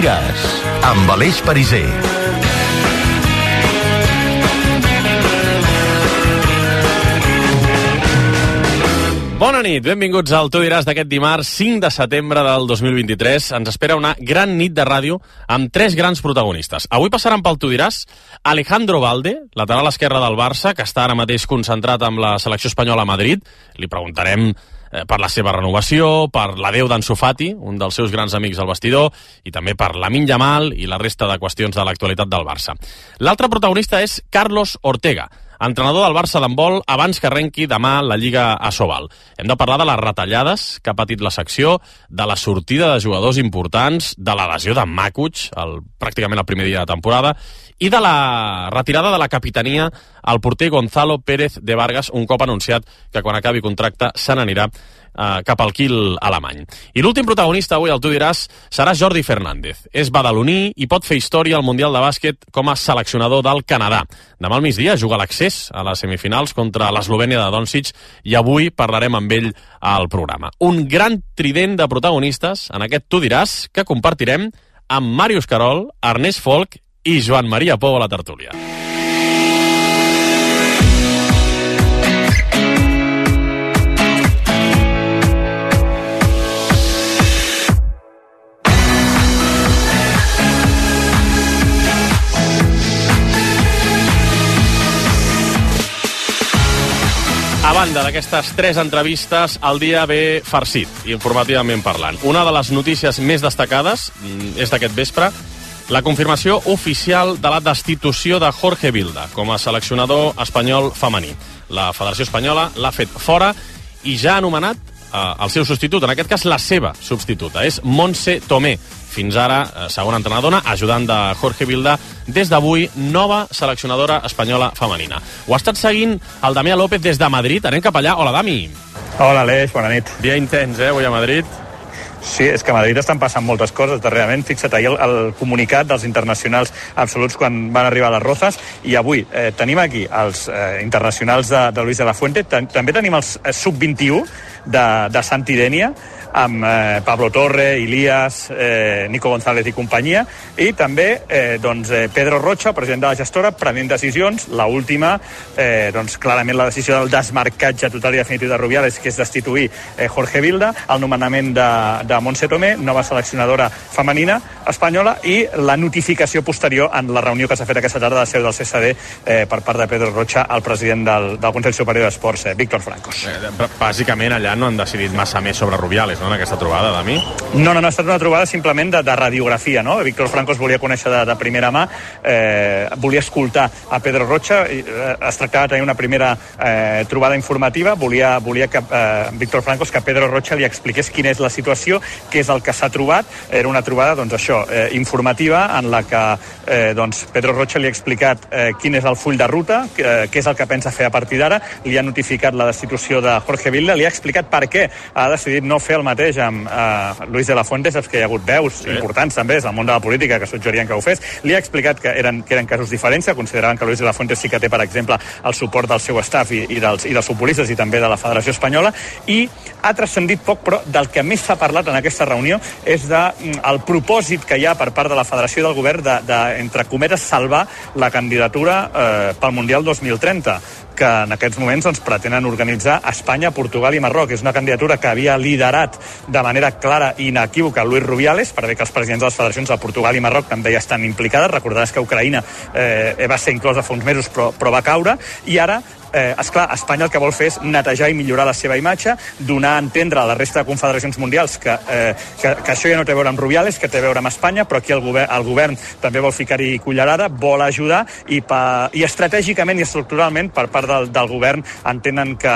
diràs, amb Aleix Pariser. Bona nit, benvinguts al Tu diràs d'aquest dimarts 5 de setembre del 2023. Ens espera una gran nit de ràdio amb 3 grans protagonistes. Avui passaran pel Tu diràs Alejandro Valde, lateral esquerre del Barça, que està ara mateix concentrat amb la selecció espanyola a Madrid. Li preguntarem per la seva renovació, per l'adeu d'Ansu Fati, un dels seus grans amics al vestidor, i també per Lamine Yamal i la resta de qüestions de l'actualitat del Barça. L'altre protagonista és Carlos Ortega, entrenador del Barça d'handbol abans que arrenqui demà la Lliga ASOVAL. Hem de parlar de les retallades que ha patit la secció, de la sortida de jugadors importants, de la lesió de Makuch, pràcticament el primer dia de temporada, i de la retirada de la capitania al porter Gonzalo Pérez de Vargas, un cop anunciat que quan acabi contracte se n'anirà cap al Kiel alemany. I l'últim protagonista avui, el Tu diràs, serà Jordi Fernández. És badaloní i pot fer història al Mundial de Bàsquet com a seleccionador del Canadà. Demà al migdia juga l'accés a les semifinals contra l'Eslovènia de Doncic i avui parlarem amb ell al programa. Un gran trident de protagonistes en aquest Tu diràs que compartirem amb Màrius Carol, Ernest Folk i Joan Maria Pou a la tertúlia. A banda d'aquestes 3 entrevistes, el dia ve farcit, informativament parlant. Una de les notícies més destacades és d'aquest vespre, la confirmació oficial de la destitució de Jorge Vilda com a seleccionador espanyol femení. La Federació Espanyola l'ha fet fora i ja ha anomenat el seu substitut, en aquest cas la seva substituta, és Montse Tomé. Fins ara, segona entrenadora, ajudant de Jorge Vilda, des d'avui, nova seleccionadora espanyola femenina. Ho ha estat seguint el Damià López des de Madrid. Anem cap allà. Hola, Dami. Hola, Aleix, bona nit. Dia intens, avui a Madrid. Sí, és que a Madrid estan passant moltes coses darrerament. Fixa't, ahir el comunicat dels internacionals absoluts quan van arribar a les Rozas, i avui tenim aquí els internacionals de Luis de la Fuente, també tenim els sub-21 de Santidènia, amb Pablo Torre, Ilías, Nico González i companyia, i també Pedro Rocha, president de la gestora, prenent decisions. L'última, clarament la decisió del desmarcatge total i definitiu de Rubiales, que és destituir Jorge Vilda, el nomenament de Montse Tomé, nova seleccionadora femenina espanyola, i la notificació posterior en la reunió que s'ha fet aquesta tarda de seu del CSD per part de Pedro Rocha, el president del Consell Superior d'Esports, Víctor Francos. Bàsicament allà no han decidit massa més sobre Rubiales, no, en aquesta trobada, Dami? No, ha estat una trobada simplement de radiografia, no? Víctor Francos volia conèixer de primera mà, volia escoltar a Pedro Rocha, es tractava de tenir una primera trobada informativa, volia que Víctor Francos, que Pedro Rocha li expliqués quina és la situació, què és el que s'ha trobat. Era una trobada, informativa, en la que Pedro Rocha li ha explicat quin és el full de ruta, què és el que pensa fer a partir d'ara, li ha notificat la destitució de Jorge Vilda, li ha explicat per què ha decidit no fer el mateix amb Luis de la Fuente. Saps que hi ha hagut veus importants també des del món de la política que suggerien que ho fes. Li ha explicat que eren casos diferents, que consideraven que Luis de la Fuente sí que té, per exemple, el suport del seu staff i dels futbolistes i també de la Federació Espanyola, i ha transcendit poc, però del que més s'ha parlat en aquesta reunió és del propòsit que hi ha per part de la Federació i del Govern entre cometes, salvar la candidatura pel Mundial 2030, que en aquests moments pretenen organitzar a Espanya, Portugal i Marroc. És una candidatura que havia liderat de manera clara i inequívoca Luis Rubiales, per bé que els presidents de les federacions de Portugal i Marroc també ja estan implicades. Recordaràs que Ucraïna va ser inclosa fa uns mesos però va caure, i ara esclar, Espanya el que vol fer és netejar i millorar la seva imatge, donar a entendre a la resta de confederacions mundials que això ja no té a veure amb Rubiales, que té a veure amb Espanya, però aquí el govern també vol ficar-hi cullerada, vol ajudar, i estratègicament i estructuralment per part del govern entenen que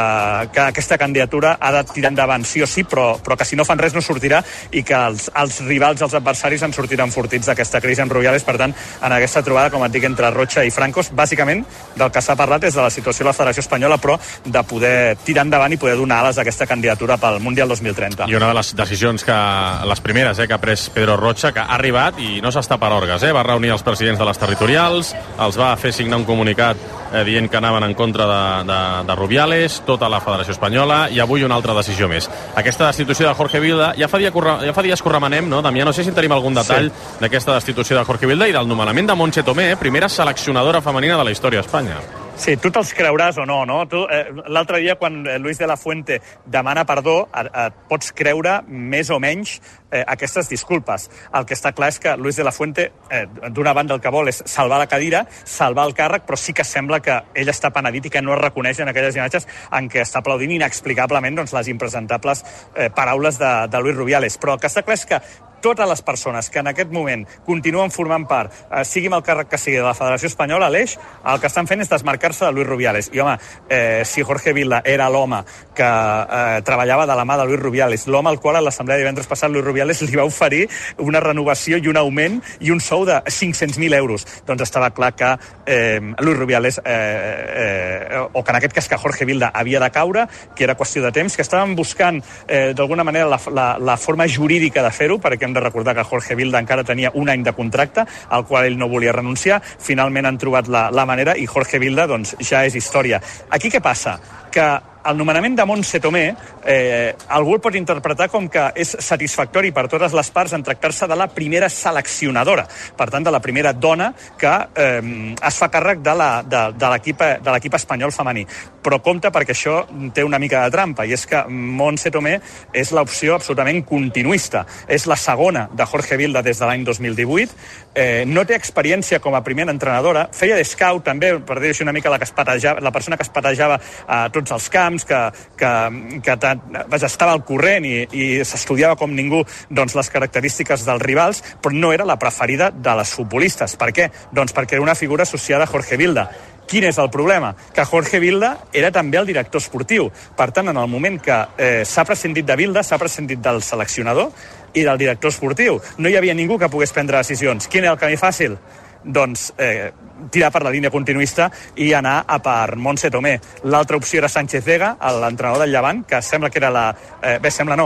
aquesta candidatura ha de tirar endavant sí o sí, però que si no fan res no sortirà, i que els rivals, els adversaris en sortiran fortits d'aquesta crisi amb Rubiales. Per tant, en aquesta trobada, com et dic, entre Rocha i Francos, bàsicament del que s'ha parlat és de la situació de la Federació Espanyola, però de poder tirar endavant i poder donar ales a aquesta candidatura pel Mundial 2030. I una de les decisions les primeres que ha pres Pedro Rocha, que ha arribat i no s'està per orgues, va reunir els presidents de les territorials, els va fer signar un comunicat dient que anaven en contra de Rubiales, tota la Federació Espanyola, i avui una altra decisió més. Aquesta destitució de Jorge Vilda, ja fa dies que ho remenem, no, Damià? No sé si en tenim algun detall d'aquesta destitució de Jorge Vilda i del nomenament de Montse Tomé, primera seleccionadora femenina de la història d'Espanya. Sí, tu te'ls creuràs o no, no? L'altre dia, quan Luis de la Fuente demana perdó, et pots creure més o menys aquestes disculpes. El que està clar és que Luis de la Fuente, d'una banda, el que vol és salvar la cadira, salvar el càrrec, però sí que sembla que ell està penedit i que no es reconeix en aquelles imatges en què està aplaudint inexplicablement les impresentables paraules de Luis Rubiales. Però el que està clar és que totes les persones que en aquest moment continuen formant part, sigui amb el càrrec que sigui de la Federació Espanyola, l'Eix, el que estan fent és desmarcar-se de Luis Rubiales. I, home, si Jorge Vilda era l'home que treballava de la mà de Luis Rubiales, l'home al qual a l'assemblea de divendres passat Luis Rubiales li va oferir una renovació i un augment i un sou de 500.000 euros, doncs estava clar que Luis Rubiales, o que en aquest cas que Jorge Vilda havia de caure, que era qüestió de temps, que estaven buscant d'alguna manera la forma jurídica de fer-ho, perquè hem de recordar que Jorge Vilda encara tenia un any de contracte, al qual ell no volia renunciar. Finalment han trobat la manera i Jorge Vilda doncs, ja és història. Aquí què passa? Que el nomenament de Montse Tomé algú el pot interpretar com que és satisfactori per totes les parts en tractar-se de la primera seleccionadora, per tant de la primera dona que es fa càrrec de l'equip espanyol femení. Però compte, perquè això té una mica de trampa, i és que Montse Tomé és l'opció absolutament continuista. És la segona de Jorge Vilda des de l'any 2018, no té experiència com a primera entrenadora, feia de scout també, per dir-ho així una mica, la persona que es patejava a tots els camps, que estava al corrent i s'estudiava com ningú doncs, les característiques dels rivals, però no era la preferida de les futbolistes. Per què? Doncs perquè era una figura associada a Jorge Vilda. Quin és el problema? Que Jorge Vilda era també el director esportiu. Per tant, en el moment que s'ha prescindit de Vilda, s'ha prescindit del seleccionador i del director esportiu. No hi havia ningú que pogués prendre decisions. Quin era el camí fàcil? Doncs tirar per la línia continuista i anar a per Montse Tomé. L'altra opció era Sánchez Vega, l'entrenador del Llevant, que sembla que era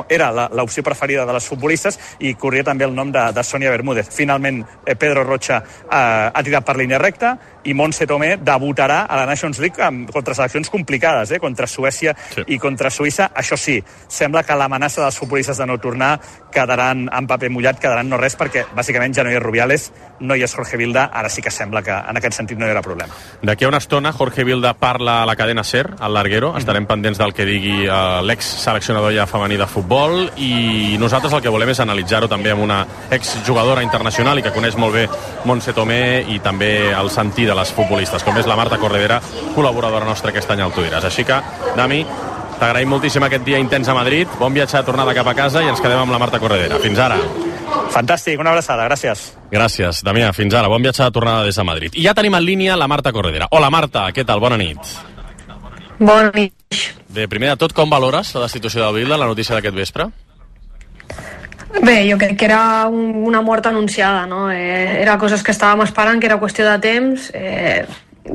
era l'opció preferida de les futbolistes, i corria també el nom de Sonia Bermúdez. Finalment, Pedro Rocha ha tirat per línia recta i Montse Tomé debutarà a la Nations League contra seleccions complicades, contra Suècia i contra Suïssa. Això sí, sembla que l'amenaça dels futbolistes de no tornar quedaran en paper mullat, quedaran no res, perquè bàsicament ja no hi és Rubiales, no hi és Jorge Vilda, ara sí que sembla que en aquest sentit no hi haurà problema. D'aquí a una estona Jorge Vilda parla a la cadena SER, al Larguero. Estarem pendents del que digui l'ex-seleccionador ja femení de futbol, i nosaltres el que volem és analitzar-ho també amb una exjugadora internacional i que coneix molt bé Montse Tomé i també el sentir de les futbolistes, com és la Marta Corredera, col·laboradora nostra aquest any al Tu Diràs. Així que, Dami, t'agraïm moltíssim aquest dia intens a Madrid, bon viatge de tornada cap a casa i ens quedem amb la Marta Corredera. Fins ara. Fantàstic, una abraçada, gràcies. Gràcies, Damià, fins ara, bon viatge de tornada des de Madrid. I ja tenim en línia la Marta Corredera. Hola, Marta, què tal? Bona nit. Bona nit. Bé, primer de tot, com valores la destitució de Vilda, la notícia d'aquest vespre? Bé, jo crec que era una mort anunciada, no? Era coses que estàvem esperant, que era qüestió de temps.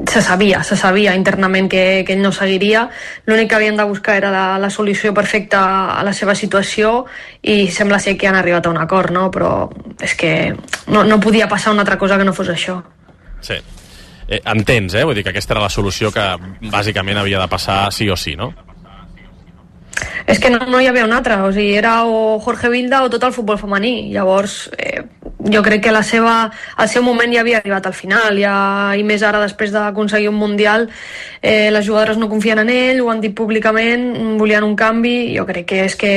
Se sabia internament que ell no seguiria. L'únic que havien de buscar era la solució perfecta a la seva situació, i sembla ser que han arribat a un acord, no? Però és que no podia passar una altra cosa que no fos això. Sí. Entens, vull dir que aquesta era la solució que bàsicament havia de passar sí o sí, no? És que no hi havia una altra, o sigui, era o Jorge Vilda o tot el futbol femení. Llavors, jo crec que el seu moment ja havia arribat al final, i més ara, després d'aconseguir un Mundial, les jugadores no confien en ell, ho han dit públicament, volien un canvi. Jo crec que és que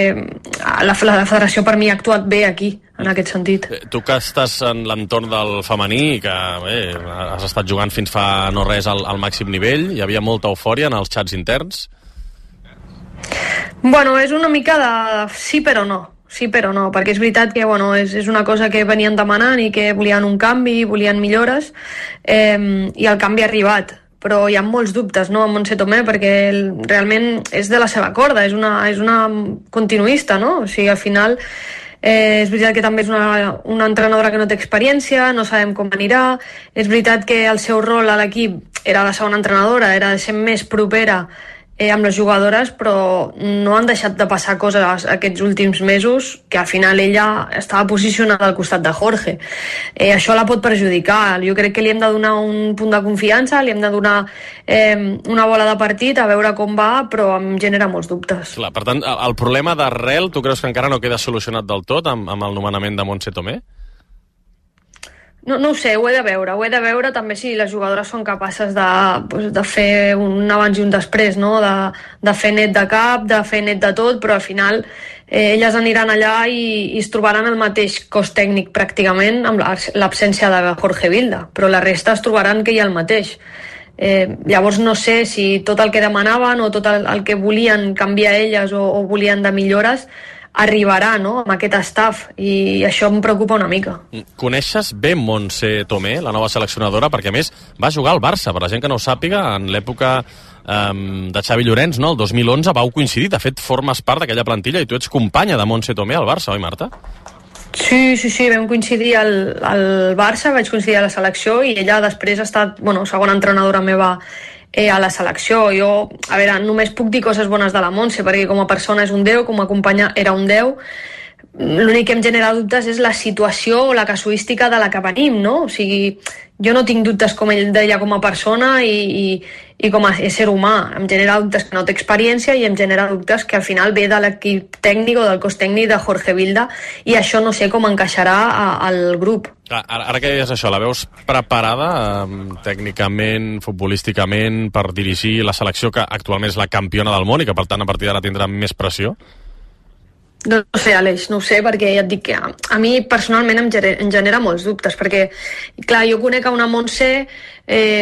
la federació per mi ha actuat bé aquí, en aquest sentit. Tu que estàs en l'entorn del femení i que has estat jugant fins fa no res al màxim nivell, hi havia molta eufòria en els xats interns? Bueno, és una mica de sí però no, perquè és veritat que és una cosa que venien demanant i que volien un canvi, volien millores, i el canvi ha arribat, però hi ha molts dubtes, no, amb Montse Tomé, perquè realment és de la seva corda, és una continuista, no? O sigui, al final és veritat que també és una entrenadora que no té experiència, no sabem com anirà. És veritat que el seu rol a l'equip era de segona entrenadora, era de ser més propera amb les jugadores, però no han deixat de passar coses aquests últims mesos, que al final ella estava posicionada al costat de Jorge. Això la pot perjudicar. Jo crec que li hem de donar un punt de confiança, li hem de donar una bola de partit, a veure com va, però em genera molts dubtes. Clar, per tant, el problema d'arrel, tu creus que encara no queda solucionat del tot amb el nomenament de Montse Tomé? No ho sé, ho he de veure també si les jugadores són capaces de fer un abans i un després, no? De fer net de cap, de fer net de tot, però al final elles aniran allà i es trobaran el mateix cos tècnic pràcticament amb l'absència de Jorge Vilda, però la resta es trobaran que hi ha el mateix. Llavors no sé si tot el que demanaven o tot el que volien canviar elles o volien de millores arribarà, no?, amb aquest staff, i això em preocupa una mica. Coneixes bé Montse Tomé, la nova seleccionadora? Perquè a més va jugar al Barça, per la gent que no ho sàpiga, en l'època de Xavi Llorenç, no? El 2011 vau coincidir, de fet formes part d'aquella plantilla i tu ets companya de Montse Tomé al Barça, oi, Marta? Sí, vam coincidir al Barça, vaig coincidir a la selecció i ella després ha estat, segona entrenadora meva a la selecció. Jo, a veure, només puc dir coses bones de la Montse, perquè com a persona és un 10, com a companya era un 10. L'únic que em genera dubtes és la situació o la casuística de la que venim, no? O sigui, jo no tinc dubtes com ell deia com a persona i com a ésser humà. Em genera dubtes que no té experiència i em genera dubtes que al final ve de l'equip tècnic o del cos tècnic de Jorge Vilda, i això no sé com encaixarà al grup. Ara que deies això, la veus preparada tècnicament, futbolísticament, per dirigir la selecció que actualment és la campiona del món i que per tant a partir d'ara tindrà més pressió? No sé, Aleix, no ho sé, perquè ja et dic que a mi personalment em genera molts dubtes, perquè, clar, jo conec a una Montse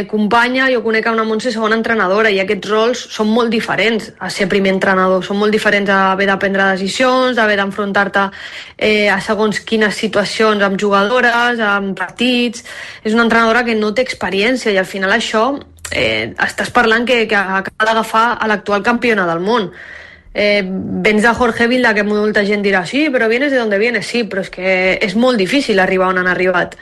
companya, jo conec a una Montse segona entrenadora, i aquests rols són molt diferents a ser primer entrenador, són molt diferents a haver de prendre decisions, a haver d'enfrontar-te a segons quines situacions amb jugadores, amb partits. És una entrenadora que no té experiència i al final això estàs parlant que acaba d'agafar a l'actual campiona del món. Vens de Jorge Vilda, que molta gent dirà sí, però vienes de donde vienes, sí, però és que és molt difícil arribar on han arribat,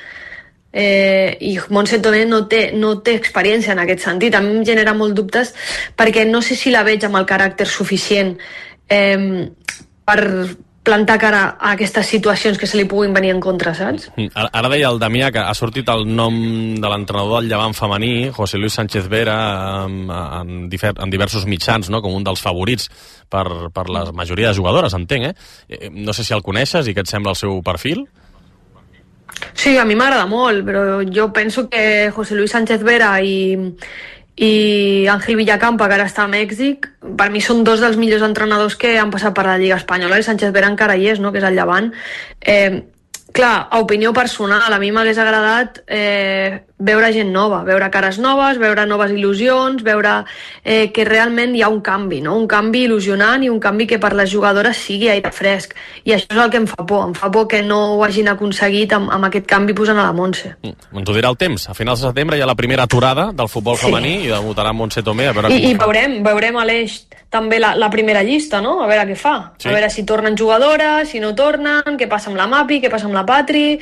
i Montse Tomé no té experiència en aquest sentit. A mi em genera molt dubtes perquè no sé si la veig amb el caràcter suficient per plantar cara a aquestes situacions que se li puguin venir en contra, saps? Ara deia el Damià que ha sortit el nom de l'entrenador del Llevant femení, José Luis Sánchez Vera, en diversos mitjans, no?, com un dels favorits per la majoria de jugadores, entenc, No sé si el coneixes i què et sembla el seu perfil? Sí, a mi m'agrada molt, però jo penso que José Luis Sánchez Vera i Ángel Villacampa, que ara està a Mèxic, per mi són dos dels millors entrenadors que han passat per la Lliga Espanyola, i Sánchez Vera encara hi és, no?, que és el Llevant. Clar, a opinió personal, a mi m'hagués agradat veure gent nova, veure cares noves, veure noves il·lusions, veure que realment hi ha un canvi, no? Un canvi il·lusionant i un canvi que per les jugadores sigui aire fresc. I això és el que em fa por que no ho hagin aconseguit amb aquest canvi posant a la Montse. Ens ho dirà el temps. A finals de setembre hi ha la primera aturada del futbol femení i debutarà Montse Tomé. I veurem Aleix també la primera llista, no? A veure què fa. Sí. A veure si tornen jugadores, si no tornen, què passa amb la Mapi, què passa amb la Patri.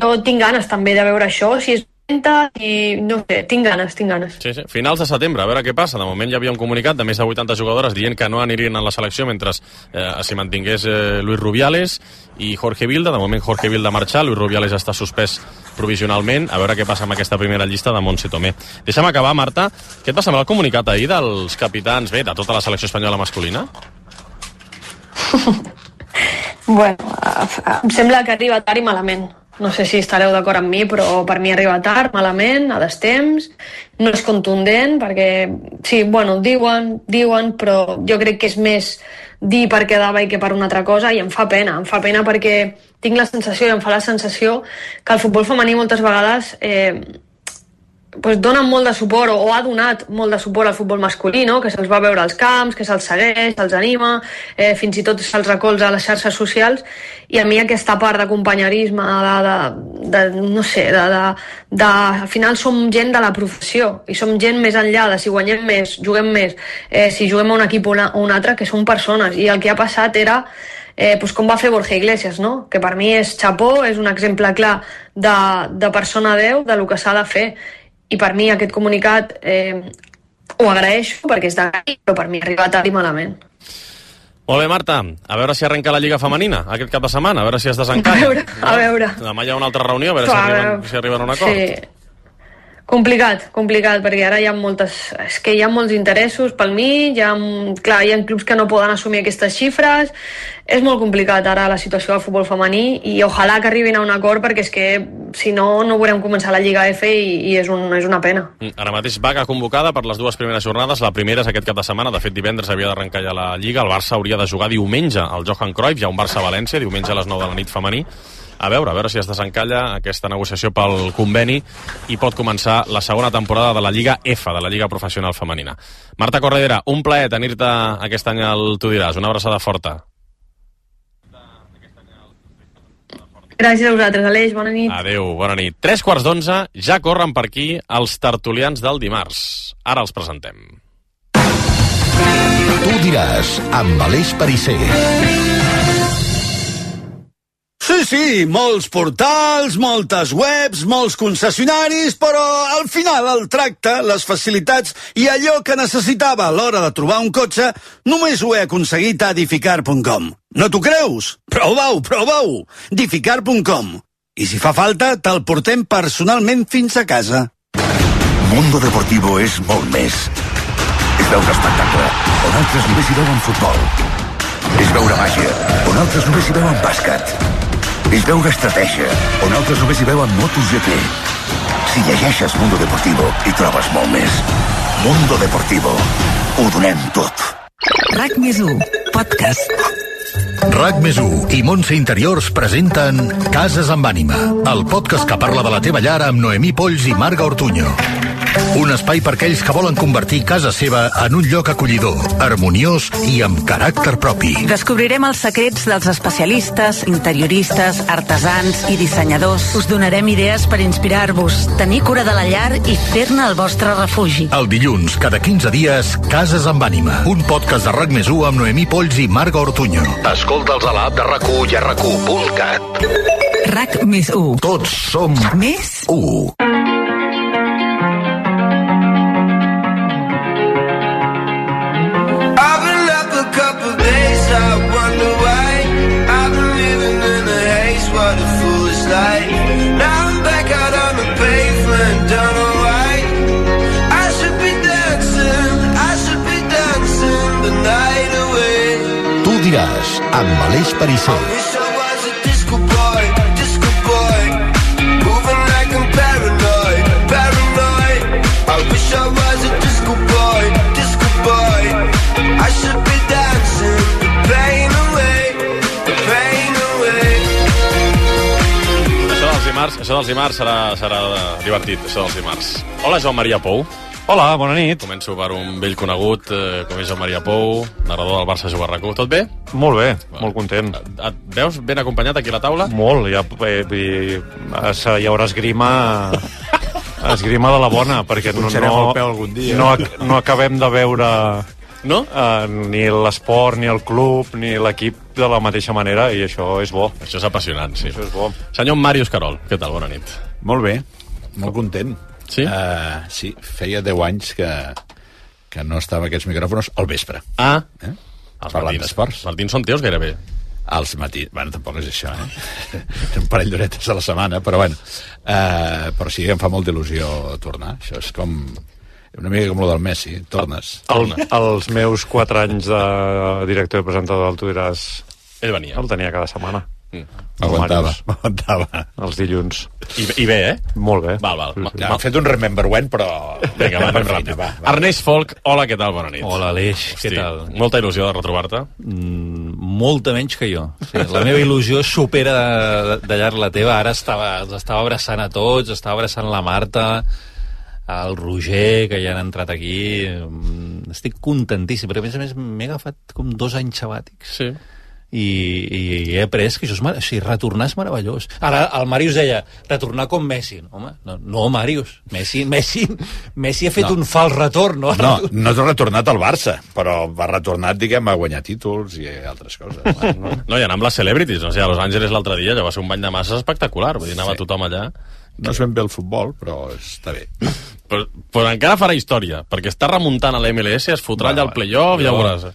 Jo tinc ganes també de veure això, si és i no sé, tinc ganes. Sí. Finals de setembre, a veure què passa. De moment hi havia un comunicat de més de 80 jugadores dient que no anirien a la selecció mentre s'hi mantingués Luis Rubiales i Jorge Vilda. De moment Jorge Vilda ha marxat, Luis Rubiales està suspès provisionalment. A veure què passa amb aquesta primera llista de Montse Tomé. Deixa'm acabar, Marta. Què et va semblar el comunicat ahir dels capitans, de tota la selecció espanyola masculina? Bueno, em sembla que arriba tard i malament. No sé si estareu d'acord amb mi, però per mi arriba tard, malament, a destemps. No és contundent, perquè sí, diuen, però jo crec que és més dir per quedava i que per una altra cosa, i em fa pena perquè tinc la sensació, i em fa la sensació, que el futbol femení moltes vegades dona molt de suport, o ha donat molt de suport al futbol masculí, no? Que se'ls va veure als camps, que se'ls segueix, se'ls anima, fins i tot se'ls recolza a les xarxes socials, i a mi aquesta part d'acompanyerisme, no sé, al final som gent de la professió, i som gent més enllà de si guanyem més, juguem més, si juguem a un equip o un altre, que som persones, i el que ha passat era com va fer Borja Iglesias, no? Que per mi és xapó, és un exemple clar de persona 10, de lo que s'ha de fer. I per mi aquest comunicat ho agraeixo perquè és d'aquí, però per mi ha arribat tard i malament. Molt bé, Marta, a veure si arrenca la Lliga Femenina aquest cap de setmana, a veure si es desencalla. A veure. Demà hi ha una altra reunió, a veure si arriben a un acord. Sí. Complicat, perquè ara hi ha hi ha molts interessos pel mig, hi ha clubs que no poden assumir aquestes xifres, és molt complicat ara la situació del futbol femení i ojalà que arribin a un acord perquè és que si no, no veurem començar la Lliga F i és una pena. Ara mateix vaga convocada per les dues primeres jornades, la primera és aquest cap de setmana, de fet divendres havia d'arrencar ja la Lliga, el Barça hauria de jugar diumenge al Johan Cruyff, hi ha un Barça-València, diumenge a les 9 de la nit femení. A veure si es desencalla aquesta negociació pel conveni i pot començar la segona temporada de la Lliga F, de la Lliga Professional Femenina. Marta Corredera, un plaer tenir-te aquest any al Tu diràs. Una abraçada forta. Gràcies a vosaltres, Aleix, bona nit. Adéu, bona nit. 11:03, ja corren per aquí els tertulians del dimarts. Ara els presentem. Tu diràs, amb Aleix Pariser. Sí, molts portals, moltes webs, molts concessionaris, però al final el tracte, les facilitats i allò que necessitava a l'hora de trobar un cotxe només ho he aconseguit a Edificar.com. No t'ho creus? Prova-ho! Edificar.com. I si fa falta, te'l portem personalment fins a casa. Mundo Deportivo és molt més. És veure espectacle, on altres només hi veuen futbol. És veure màgia, on altres només hi veuen bàsquet. És veure estratègia, on altres només hi veuen MotoGP. Si llegeixes Mundo Deportivo, hi trobes molt més. Mundo Deportivo. Ho donem tot. RAC+1, podcast. RAC+1 i Montse Interiors presenten Cases amb ànima, el podcast que parla de la teva llar amb Noemí Polls i Marga Ortuño. Un espai per aquells que volen convertir casa seva en un lloc acollidor, harmoniós i amb caràcter propi. Descobrirem els secrets dels especialistes, interioristes, artesans i dissenyadors. Us donarem idees per inspirar-vos, tenir cura de la llar i fer-ne el vostre refugi. El dilluns, cada 15 dies, Cases amb ànima. Un podcast de RAC+1 amb Noemí Polls i Marga Ortuño. Escolta'ls a l'app de RAC1 i a RAC1.cat. RAC+1. Tots som més 1. I wonder why I've been living in a haze, what a foolish life. Now I'm back out on the pavement, don't know why. I should be dancing the night away. Tu diràs, amb Aleix Pariser. I wish I was a disco boy, moving like I'm paranoid. I wish I was a disco boy, I should be dancing the pain away. Això dels dimarts serà divertit, això dels dimarts. Hola, Joan Maria Pou. Hola, bona nit. Començo per un vell conegut, com és Joan Maria Pou, narrador del Barça Juga RAC1. Tot bé? Molt bé, molt content. Et veus ben acompanyat aquí a la taula? Molt, hi haurà esgrima de la bona, perquè no acabem de veure no? Ni l'esport, ni el club, ni l'equip de la mateixa manera, i això és bo. Això és apassionant, sí. Això és bo. Senyor Màrius Carol, què tal? Bona nit. Molt bé, molt content. Sí? Sí, feia 10 anys que no estava a aquests micròfons al vespre. Els parlant d'esports. Els matins són teus gairebé. Els matins, bueno, tampoc és això, un parell d'horetes a la setmana, però bueno. Però sí, em fa molta il·lusió tornar. Això és com una mica com lo del Messi, tornes. Els meus 4 anys de director i presentador del Tu diràs, ell venia. El tenia cada setmana. M'aguantava. Els dilluns. I bé, eh? Molt bé. Val. Sí. M'han fet un remember when, però... Vinga, va, ràpid. Ernest Folk, hola, què tal? Bona nit. Hola, Aleix, què tal? Molta il·lusió de retrobar-te? Molta menys que jo. Sí, la meva il·lusió supera de llarg la teva. Ara els estava abraçant a tots, estava abraçant la Marta, el Roger, que ja han entrat aquí. Estic contentíssim, perquè a més m'he agafat com 2 anys sabàtics. Sí. I he après que això és retornar és meravellós. Ara el Màrius deia retornar com Messi. Home, no Màrius, Messi ha fet un fals retorn. No t'ha retornat al Barça, però va retornat, diguem, a guanyar títols i altres coses. No, i anar amb les celebrities, no sé, a Los Angeles l'altre dia ja va ser un bany de masses espectacular, vull dir, anava tothom allà. No és ben bé el futbol, però està bé. però encara farà història, perquè està remuntant a la MLS, es fotrà allà al playoff, ja ho veuràs.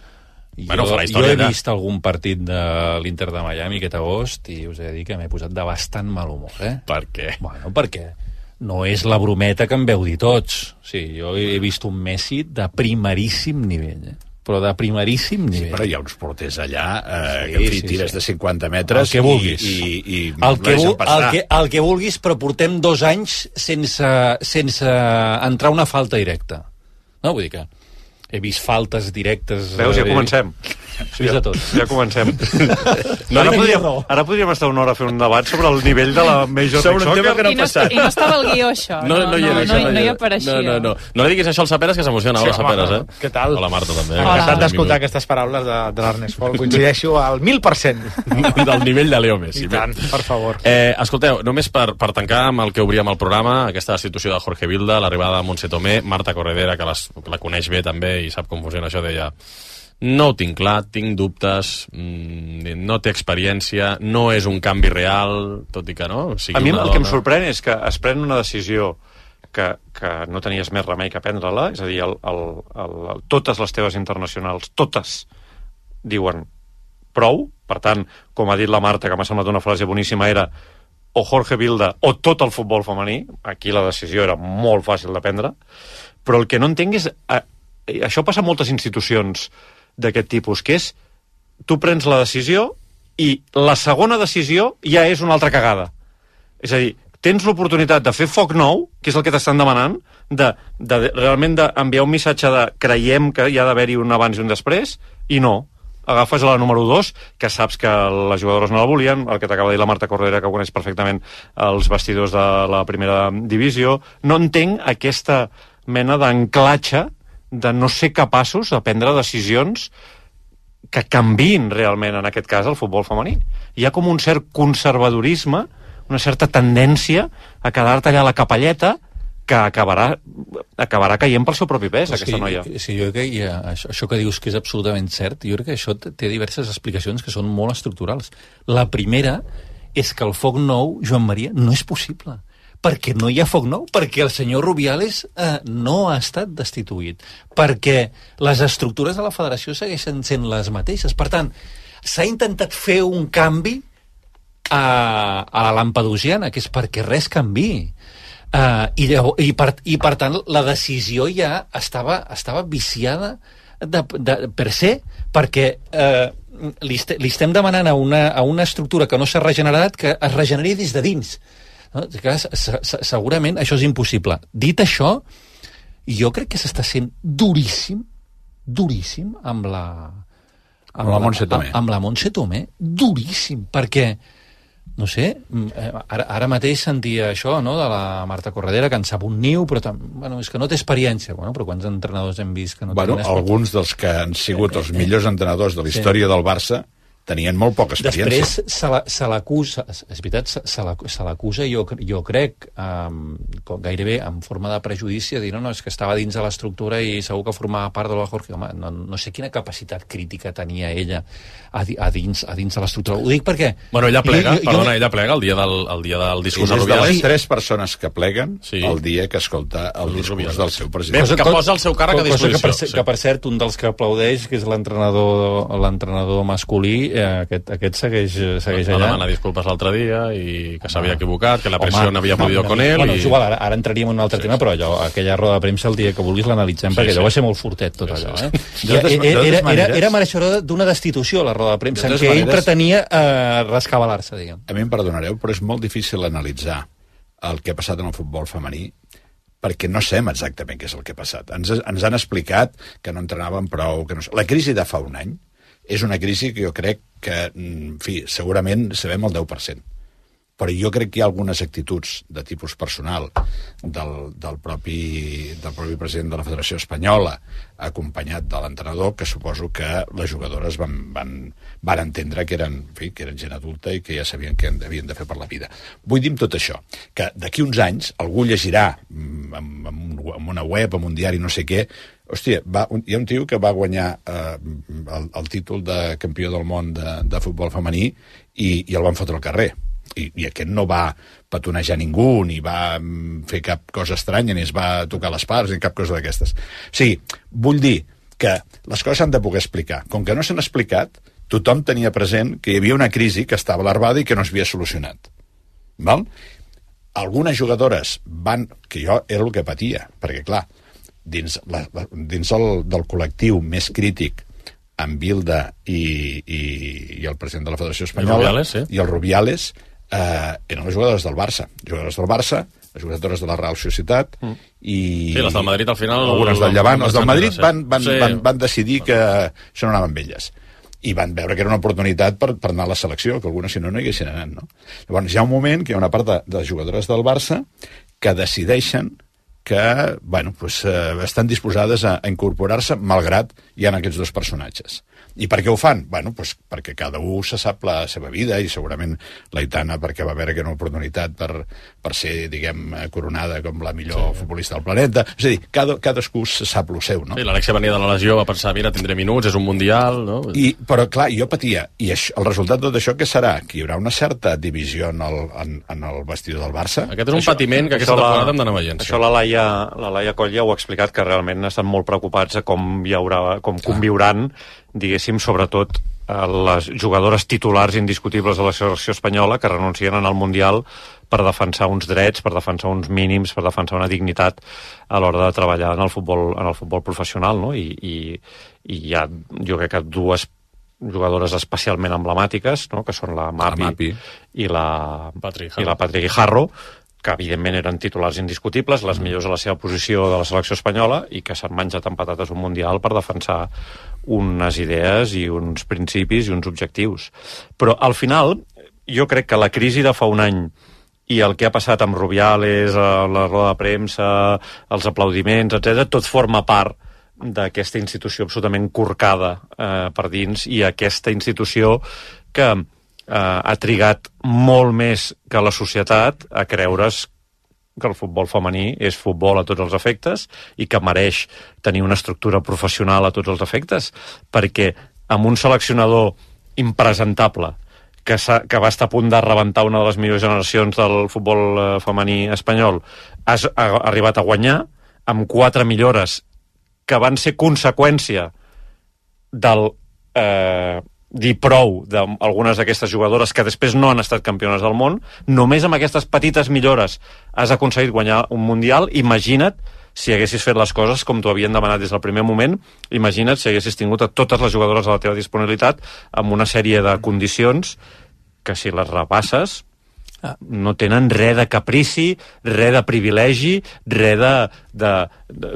Bueno, farà història. Jo he vist algun partit de l'Inter de Miami aquest agost i us he de dir que m'he posat de bastant mal humor, Per què? Bueno, perquè no és la brometa que em veu dir tots. Sí, jo he vist un Messi de primeríssim nivell, però de primeríssim nivell. Sí, però hi ha uns porters allà que en fi, tires de 50 metres el que vulguis. i el que vulguis, però portem 2 anys sense entrar una falta directa. No, vull dir que he vist faltes directes... Veus, ja comencem. Sí, de tot. Ja comencem. Ara podríem estar una hora a fer un debat sobre el nivell de la Major League Soccer. I no estava el guió, això. No hi apareixia. No li diguis això al Saperes, que s'emociona. Hola, Saperes, Què tal? Hola, Marta, també. Encantat d'escoltar aquestes paraules de l'Ernest Fol. Coincideixo al 1000%. Del nivell de Leo Messi. I tant, per favor. Escolteu, només per tancar amb el que obríem el programa, aquesta destitució de Jorge Vilda, l'arribada de Montse Tomé, Marta Corredera, que la coneix bé també i sap com funciona això, deia: no ho tinc clar, tinc dubtes, no té experiència, no és un canvi real, tot i que no. A mi el que em sorprèn és que es pren una decisió que no tenies més remei que prendre-la, és a dir, totes les teves internacionals, totes, diuen prou. Per tant, com ha dit la Marta, que m'ha semblat una frase boníssima, era o Jorge Vilda o tot el futbol femení. Aquí la decisió era molt fàcil de prendre, però el que no entenc és... Això passa a moltes institucions d'aquest tipus, que és tu prens la decisió i la segona decisió ja és una altra cagada. És a dir, tens l'oportunitat de fer foc nou, que és el que t'estan demanant, de realment d'enviar un missatge de creiem que hi ha d'haver-hi un abans i un després, i no. Agafes la número 2, que saps que les jugadores no la volien, el que t'acaba de dir la Marta Corredera, que coneix perfectament els vestidors de la primera divisió. No entenc aquesta mena d'anclatge de no ser capaços de prendre decisions que canviïn realment, en aquest cas, el futbol femení. Hi ha com un cert conservadorisme, una certa tendència a quedar-te allà a la capelleta, que acabarà caient pel seu propi pes, aquesta noia. Sí, jo crec que això que dius que és absolutament cert, jo crec que això té diverses explicacions que són molt estructurals. La primera és que el foc nou, Joan Maria, no és possible. Perquè no hi ha foc nou, perquè el senyor Rubiales no ha estat destituït, perquè les estructures de la federació segueixen sent les mateixes. Per tant, s'ha intentat fer un canvi a la lampedusiana, que és perquè res canviï. I per tant, la decisió ja estava viciada per se, perquè li estem demanant a una estructura que no s'ha regenerat que es regeneri des de dins. No? Segurament això és impossible. Dit això, jo crec que s'està sent duríssim amb la Montse Tomé, duríssim, perquè no sé, ara mateix sentia això, no?, de la Marta Corredera, que en sap un niu, però és que no té experiència. Bueno, però quants entrenadors hem vist que no tenen experiència? Alguns dels que han sigut els millors entrenadors de la història del Barça tenien molt poca experiència. Després se l'acusa, és veritat, se l'acusa, jo crec, gairebé en forma de prejudici, a dir, no, és que estava dins de l'estructura i segur que formava part de la Jorge. Home, no sé quina capacitat crítica tenia ella a dins de l'estructura. Ho dic perquè... Bueno, ella plega, ella plega el dia del discurs de Rubiales. És de les 3 persones que pleguen el dia que escolta el discurs del seu president. Que posa el seu càrrec a disposició. Que, per cert, un dels que aplaudeix, que és l'entrenador masculí, aquest segueix allà. Va demanar disculpes l'altre dia i que s'havia equivocat, que la pressió n'havia podido con ell. Bueno, és igual, ara entraríem en un altre tema, però allò, aquella roda de premsa el dia que vulguis l'analitzem, perquè allò va ser molt fortet, tot allò. Era mereixedor d'una destitució, la roda de premsa, en què ell pretenia rescabalar-se, diguem. A mi em perdonareu, però és molt difícil analitzar el que ha passat en el futbol femení, perquè no sabem exactament què és el que ha passat. Ens han explicat que no entrenaven prou, que no... La crisi de fa un any és una crisi que jo crec que, en fi, segurament sabem el 10%. Però jo crec que hi ha algunes actituds de tipus personal del propi president de la Federació Espanyola, acompanyat de l'entrenador, que suposo que les jugadores van entendre que eren gent adulta i que ja sabien què havien de fer per la vida. Vull dir amb tot això, que d'aquí uns anys algú llegirà en una web, en un diari, no sé què, hòstia, hi ha un tio que va guanyar el títol de campió del món de futbol femení i el van fotre al carrer. i aquest no va petonejar ningú, ni va fer cap cosa estranya, ni es va tocar les parts, ni cap cosa d'aquestes. O sigui, vull dir que les coses s'han de poder explicar. Com que no s'han explicat, tothom tenia present que hi havia una crisi que estava larvada i que no s'havia solucionat. Val? Algunes jugadores van... que jo era el que patia, perquè, clar, dins del col·lectiu més crític amb Bilda i el president de la Federació Espanyola i el Rubiales, eren les jugadores del Barça. Jugadores del Barça, les jugadores de la Real Societat i... Sí, les del Madrid al final... Algunes del Llevant. Els del Madrid van decidir que això no anaven amb elles. I van veure que era una oportunitat per anar a la selecció, que algunes si no hi haguessin anat, no? Llavors hi ha un moment que hi ha una part de jugadores del Barça que decideixen que, bueno, pues, estan disposades a incorporar-se malgrat hi ha aquests dos personatges. I per què ho fan? Bueno, pues, perquè cada un se sap la seva vida i segurament l'Aitana perquè va veure que era una oportunitat per ser, diguem, coronada com la millor futbolista del planeta. És a dir, cadascú se sap lo seu, no? Sí, l'Alexia venia de la lesió, va pensar, mira, tindré minuts, és un mundial, no? Però, clar, jo patia. I el resultat de tot això què serà? Que hi haurà una certa divisió en el vestidor del Barça? Aquest és un patiment que aquesta temporada hem d'anar veient. Això la Laia Coll ja ho ha explicat, que realment estan molt preocupats a com conviuran, diguéssim, sobretot les jugadores titulars indiscutibles de la selecció espanyola que renuncien al Mundial per defensar uns drets, per defensar uns mínims, per defensar una dignitat a l'hora de treballar en el futbol professional, no? I hi ha, jo crec que dues jugadores especialment emblemàtiques, no? Que són la Mapi i la Patri Guijarro, que evidentment eren titulars indiscutibles, les millors a la seva posició de la selecció espanyola i que s'han menjat amb patates un Mundial per defensar unes idees i uns principis i uns objectius. Però al final jo crec que la crisi de fa un any i el que ha passat amb Rubiales, la roda de premsa, els aplaudiments, etc., tot forma part d'aquesta institució absolutament corcada per dins i aquesta institució que ha trigat molt més que la societat a creure's que el futbol femení és futbol a tots els efectes i que mereix tenir una estructura professional a tots els efectes, perquè amb un seleccionador impresentable que va estar a punt de rebentar una de les millors generacions del futbol femení espanyol, has arribat a guanyar amb 4 millores que van ser conseqüència del dir prou d'algunes d'aquestes jugadores que després no han estat campiones del món. Només amb aquestes petites millores has aconseguit guanyar un Mundial. Imagina't si haguessis fet les coses com t'ho havien demanat des del primer moment. Imagina't si haguessis tingut a totes les jugadores a la teva disponibilitat amb una sèrie de condicions que, si les repasses, no tenen res de caprici, res de privilegi, res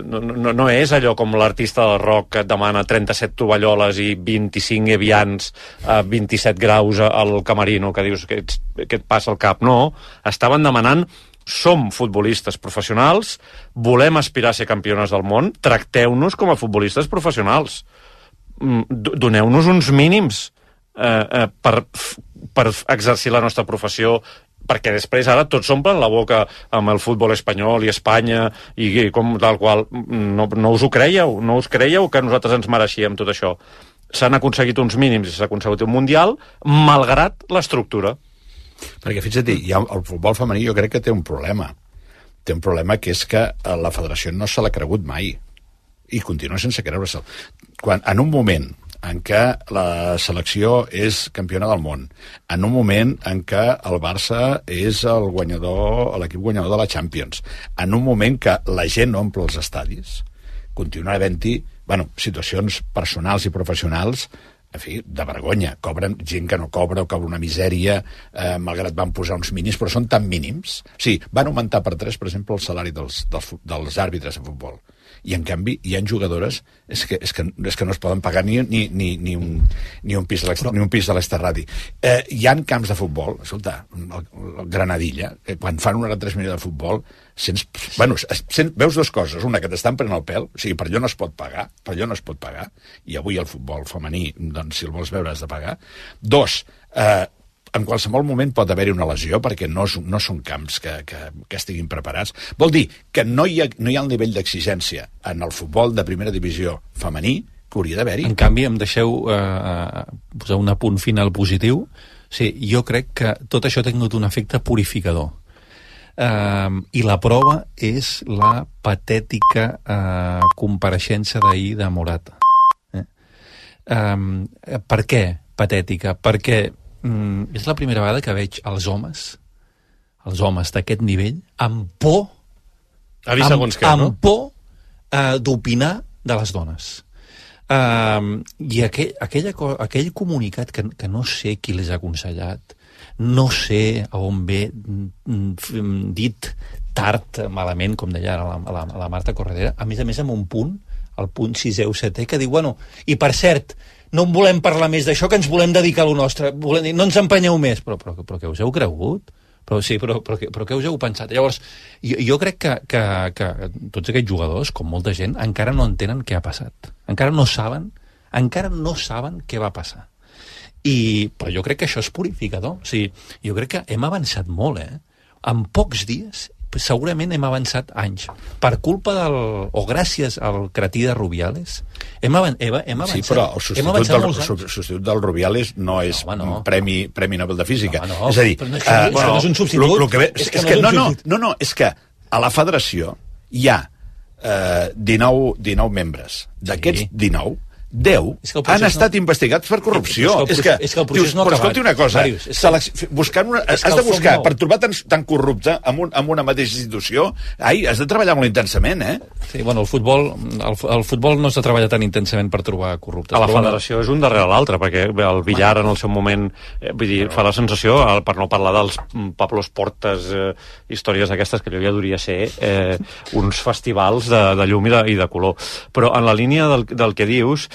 no és allò com l'artista del rock que et demana 37 tovalloles i 25 evians a 27 graus al camerino, que dius que et passa al cap. No, estaven demanant: som futbolistes professionals, volem aspirar a ser campiones del món, tracteu-nos com a futbolistes professionals, doneu-nos uns mínims per exercir la nostra professió, perquè després ara tots s'omplen la boca amb el futbol espanyol i Espanya i com tal qual. No us ho creieu, no us creieu que nosaltres ens mereixíem tot això. S'han aconseguit uns mínims i s'ha aconseguit un Mundial malgrat l'estructura. Perquè fixa't, el futbol femení jo crec que té un problema. Té un problema que és que la federació no se l'ha cregut mai i continua sense creure-se'l. En un moment en què la selecció és campiona del món, en un moment en què el Barça és l'equip guanyador de la Champions, en un moment que la gent omple els estadis, continua havent-hi situacions personals i professionals, en fi, de vergonya. Cobren gent que no cobra o cobra una misèria, malgrat van posar uns mínims, però són tan mínims. O sigui, van augmentar per 3, per exemple, el salari dels àrbitres de futbol. I en canvi hi ha jugadores és que no es poden pagar ni un pis de l'Esterradi. Hi ha camps de futbol, escolta, el Granadilla, quan fan una retransmissió de futbol veus dues coses: una, que t'estan prenent el pèl, o sigui, per allò no es pot pagar, i avui el futbol femení, doncs, si el vols veure has de pagar. 2, en qualsevol moment pot haver-hi una lesió perquè no són camps que estiguin preparats. Vol dir que no hi ha el nivell d'exigència en el futbol de primera divisió femení que hauria d'haver-hi. En canvi, em deixeu posar un apunt final positiu. Sí, jo crec que tot això ha tingut un efecte purificador. I la prova és la patètica compareixença d'ahir de Morata. Per què patètica? Perquè és la primera vegada que veig els homes d'aquest nivell amb por d'opinar de les dones. I aquell comunicat que no sé qui les ha aconsellat, no sé a on ve dit tard, malament, com deia ara la Marta Corredera, a més amb un punt, el punt 6è o 7è, que diu, bueno, i per cert, no en volem parlar més d'això, que ens volem dedicar a lo nostre, no ens empenyeu més. Però què us heu cregut? Però què us heu pensat? Llavors, jo crec que tots aquests jugadors, com molta gent, encara no entenen què ha passat. Encara no saben què va passar. Però jo crec que això és purificador. O sigui, jo crec que hem avançat molt, En pocs dies, segurament hem avançat anys. Per culpa o gràcies al cretí de Rubiales, hem avançat. Sí, però el substitut del Rubiales no és Premi Nobel de Física. És a dir, no és un substitut. És que a la federació hi ha 19 membres. D'aquests 19, 10 han estat investigats per corrupció. És que el procés no ha acabat. Però escolti una cosa, has de buscar per trobar tan corrupte en una mateixa institució, has de treballar molt intensament, Sí, bueno, el futbol no s'ha treballat tan intensament per trobar corruptes. A la federació és un darrere l'altre, perquè el billar en el seu moment, vull dir, fa la sensació, per no parlar dels Pablos Portas, històries aquestes, que allò ja hauria ser uns festivals de llum i de color. Però en la línia del que dius,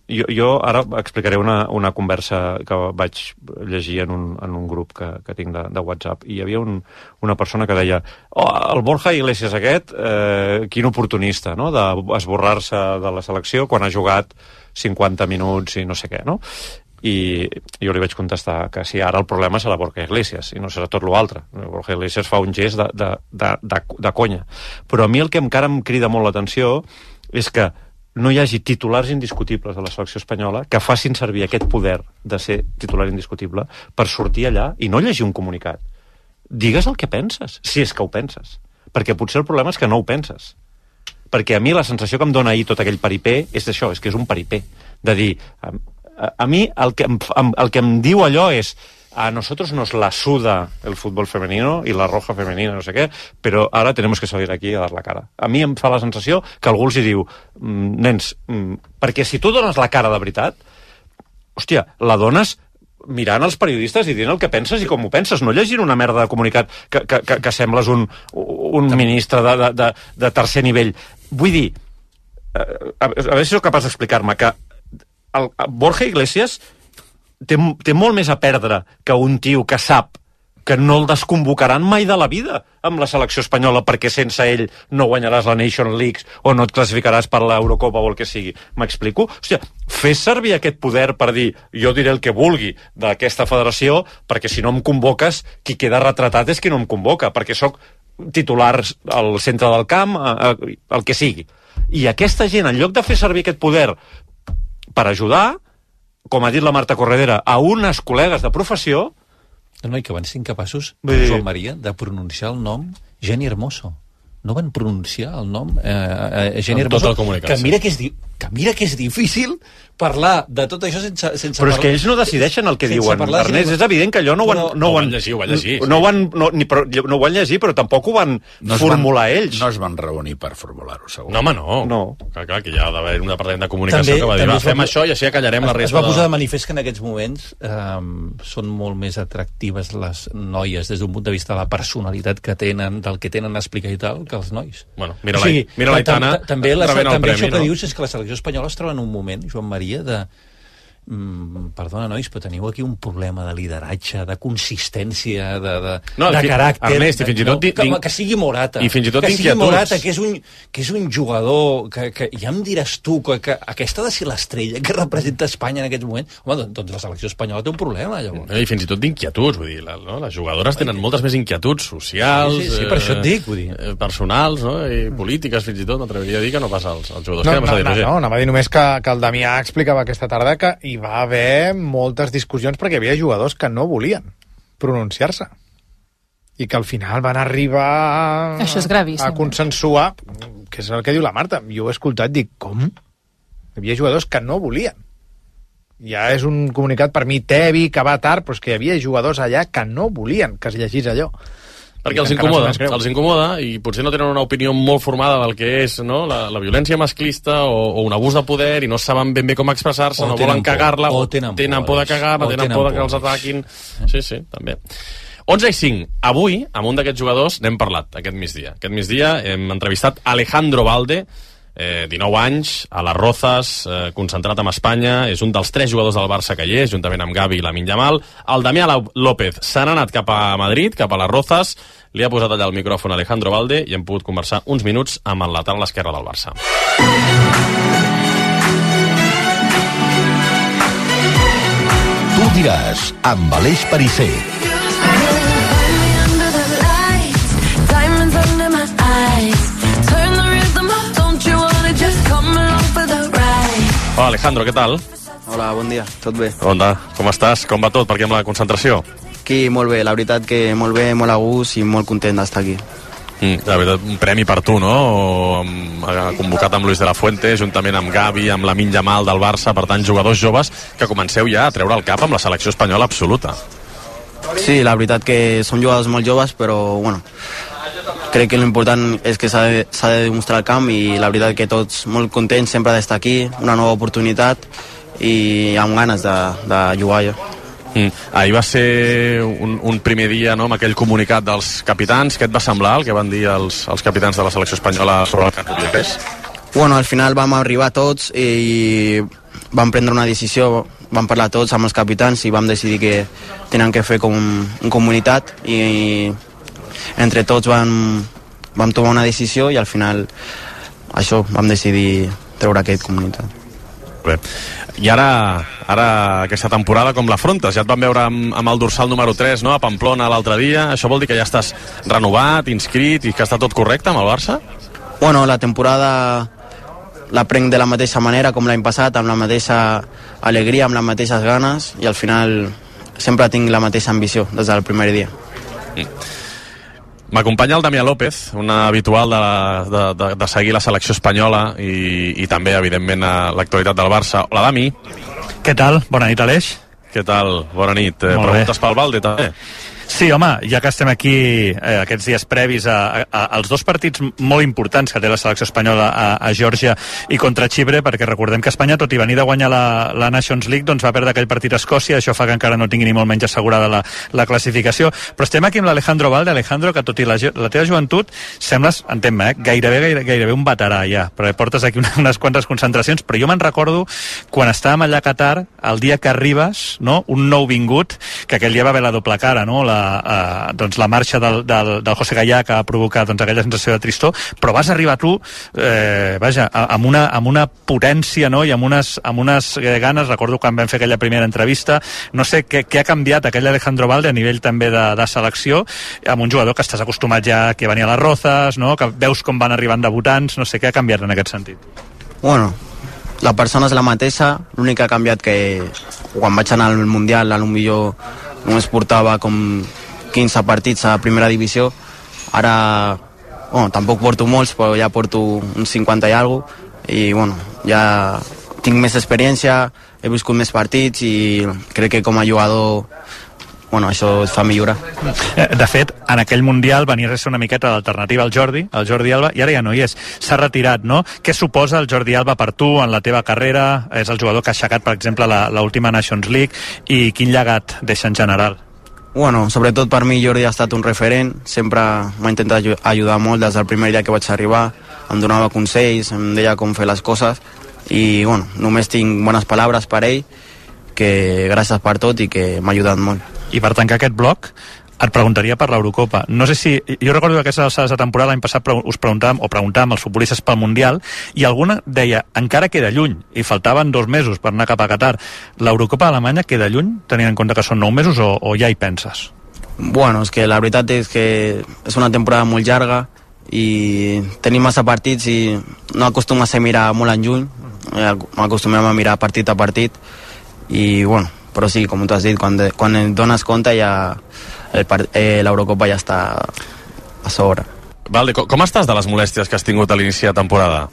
jo ara explicaré una conversa que vaig llegir en un grup que tinc de WhatsApp, i hi havia una persona que deia el Borja Iglesias aquest, quin oportunista, no?, d'esborrar-se de la selecció quan ha jugat 50 minuts i no sé què, no? I jo li vaig contestar que sí, ara el problema serà Borja Iglesias i no serà tot l'altre. Borja Iglesias fa un gest de conya. Però a mi el que encara em crida molt l'atenció és que no hi hagi titulars indiscutibles de la selecció espanyola que facin servir aquest poder de ser titular indiscutible per sortir allà i no llegir un comunicat. Digues el que penses, si és que ho penses. Perquè potser el problema és que no ho penses. Perquè a mi la sensació que em dona ahir tot aquell paripé és això, és que és un paripé. De dir, a mi el que em diu allò és: a nosotros nos la suda el fútbol femenino y la roja femenina, no sé què, però ara tenemos que salir aquí a dar la cara. A mi em fa la sensació que algú els hi diu, nens, perquè si tu dones la cara de veritat, hòstia, la dones mirant els periodistes i dient el que penses i com ho penses, no llegint una merda de comunicat que sembles un ministre de tercer nivell. Vull dir, a veure si sóc capaç d'explicar-me, que el Borja Iglesias té molt més a perdre que un tio que sap que no el desconvocaran mai de la vida amb la selecció espanyola perquè sense ell no guanyaràs la Nation League o no et classificaràs per l'Eurocopa o el que sigui. M'explico? Hòstia, fes servir aquest poder per dir jo diré el que vulgui d'aquesta federació perquè si no em convoques, qui queda retratat és qui no em convoca, perquè sóc titular al centre del camp, el que sigui. I aquesta gent, en lloc de fer servir aquest poder per ajudar, com ha dit la Marta Corredera, a unes col·legues de professió... No, i que van ser incapaços, Joan Maria, de pronunciar el nom Jenny Hermoso. No van pronunciar el nom Jenny Hermoso, que mira que és difícil parlar de tot això sense però és que ells no decideixen el que diuen, Ernest. És evident que allò no ho van llegir. No ho van llegir, però tampoc ho van formular ells. No es van reunir per formular-ho, segur. No, home, no. Clar, que hi ha d'haver un departament de comunicació que va dir, fem això i així acallarem la resta. Es va posar de manifest que en aquests moments són molt més atractives les noies des d'un punt de vista de la personalitat que tenen, del que tenen a explicar i tal, que els nois. Bueno, mira l'Aitana també això que dius és que la selecció espanyola es troba en un moment, Joan Maria, de perdona, nois, però teniu aquí un problema de lideratge, de consistència, de caràcter. Ernest, i fins i tot... Que sigui Morata. I fins i tot que sigui Morata, que és un jugador que ja em diràs tu que aquesta ha de ser l'estrella que representa Espanya en aquests moments. Home, doncs la selecció espanyola té un problema, llavors. I fins i tot d'inquietuds, vull dir, les jugadores tenen moltes més inquietuds socials, sí, per això et dic, vull dir. Personals, no? I polítiques, fins i tot, m'atreviria a dir que no passa als jugadors. No, anava a dir només que el Damià explicava aquesta tarda que hi hi va haver moltes discussions perquè hi havia jugadors que no volien pronunciar-se i que al final van arribar Això és gravíssim. a consensuar, que és el que diu la Marta. Jo ho he escoltat, dic, com? Hi havia jugadors que no volien. Ja és un comunicat per mi tebi, que va tard, però és que hi havia jugadors allà que no volien que es llegís allò. Perquè els incomoda i potser no tenen una opinió molt formada del que és, no? la violència masclista o un abús de poder i no saben ben bé com expressar-se, no volen cagar-la, o tenen por de cagar-la, tenen por de que els ataquin. Sí, també. 11:05. Avui, amb un d'aquests jugadors, n'hem parlat aquest migdia. Aquest migdia hem entrevistat Alejandro Valde, 19 anys, a les Rozas, concentrat amb Espanya, és un dels 3 jugadors del Barça que hi és, juntament amb Gavi i Lamine Yamal. El Damià López se n'ha anat cap a Madrid, cap a les Rozas, li ha posat allà el micròfon a Alejandro Valde i hem pogut conversar uns minuts amb el lateral esquerre del Barça. Tu diràs, amb Aleix Perisser. Hola, Alejandro, què tal? Hola, bon dia, tot bé. Onda, com estàs? Com va tot? Per què amb la concentració? Aquí, molt bé, la veritat que molt bé, molt a gust i molt content d'estar aquí. La veritat, un premi per tu, no? Convocat amb Luis de la Fuente, juntament amb Gavi, amb Lamine Yamal del Barça, per tant, jugadors joves que comenceu ja a treure el cap amb la selecció espanyola absoluta. Sí, la veritat que són jugadors molt joves, però, bueno, crec que l'important és que s'ha de demostrar el camp i la veritat que tots molt contents sempre d'estar aquí, una nova oportunitat i amb ganes de jugar jo. Ahir va ser un primer dia, no?, amb aquell comunicat dels capitans. Què et va semblar el que van dir els capitans de la selecció espanyola sobre el que publiqués? Bueno, al final vam arribar tots i vam prendre una decisió, vam parlar tots amb els capitans i vam decidir que tenien que fer com un comunitat i entre tots vam tomar una decisió i al final això vam decidir treure aquest comunitat. Bé. I ara aquesta temporada com l'afrontes? Ja et van veure amb el dorsal número 3, no?, a Pamplona l'altre dia. Això vol dir que ja estàs renovat, inscrit i que està tot correcte amb el Barça? Bueno, la temporada la prenc de la mateixa manera com l'any passat, amb la mateixa alegria, amb les mateixes ganes i al final sempre tinc la mateixa ambició des del primer dia. M'acompanya el Damià López, un habitual de seguir la selecció espanyola i també, evidentment, l'actualitat del Barça. Hola, Dami. Què tal? Bona nit, Aleix. Què tal? Bona nit. Preguntes pel Valde, també? Sí, home, ja que estem aquí aquests dies previs als 2 partits molt importants que té la selecció espanyola a Geòrgia i contra Xipre, perquè recordem que Espanya, tot i venir de guanyar la Nations League, doncs va perdre aquell partit a Escòcia, això fa que encara no tingui ni molt menys assegurada la classificació. Però estem aquí amb l'Alejandro Valde. Alejandro, que tot i la teva joventut sembles, entenc-me, gairebé un veterà ja, perquè portes aquí unes quantes concentracions, però jo me'n recordo quan estàvem allà a Qatar, el dia que arribes, no?, un nou vingut, que aquell dia va haver la doble cara, no?, doncs la marxa del José Gallà que ha provocat doncs, aquella sensació de tristor, però vas arribar tu amb una potència, no?, i amb unes ganes. Recordo quan vam fer aquella primera entrevista. No sé què ha canviat aquell Alejandro Valde a nivell també de selecció, amb un jugador que estàs acostumat ja que venia a les Rozas, no?, que veus com van arribant debutants. No sé què ha canviat en aquest sentit. Bueno, la persona és la mateixa, l'únic que ha canviat que quan vaig anar al Mundial potser només portava com 15 partits a primera divisió. Ara, bueno, tampoc porto molts, però ja porto uns 50 i alguna cosa, i bueno, ja tinc més experiència, he viscut més partits i crec que com a jugador, bueno, això et fa millorar. De fet, en aquell Mundial venies a ser una miqueta d'alternativa al Jordi Alba, i ara ja no hi és. S'ha retirat, no? Què suposa el Jordi Alba per tu en la teva carrera? És el jugador que ha aixecat, per exemple, l'última Nations League, i quin llegat deixa en general? Bueno, sobretot per mi Jordi ha estat un referent, sempre m'ha intentat ajudar molt des del primer dia que vaig arribar, em donava consells, em deia com fer les coses i bueno, només tinc bones paraules per ell, que gràcies per tot i que m'ha ajudat molt. I per tancar aquest bloc, et preguntaria per l'Eurocopa. No sé si... Jo recordo que aquestes alçades de temporada l'any passat us preguntàvem als futbolistes pel Mundial i alguna deia, encara queda lluny i faltaven 2 mesos per anar cap a Qatar. L'Eurocopa d'Alemanya queda lluny, tenint en compte que són 9 mesos o ja hi penses? Bueno, és que la veritat és que és una temporada molt llarga i tenim massa partits i no acostumem a mirar molt en juny, acostumem a mirar partit a partit i bueno, però sí, com tu has dit, quan et dones compte ja l'Eurocopa ja està a sobre. Valde, com estàs de les molèsties que has tingut a l'inici de temporada?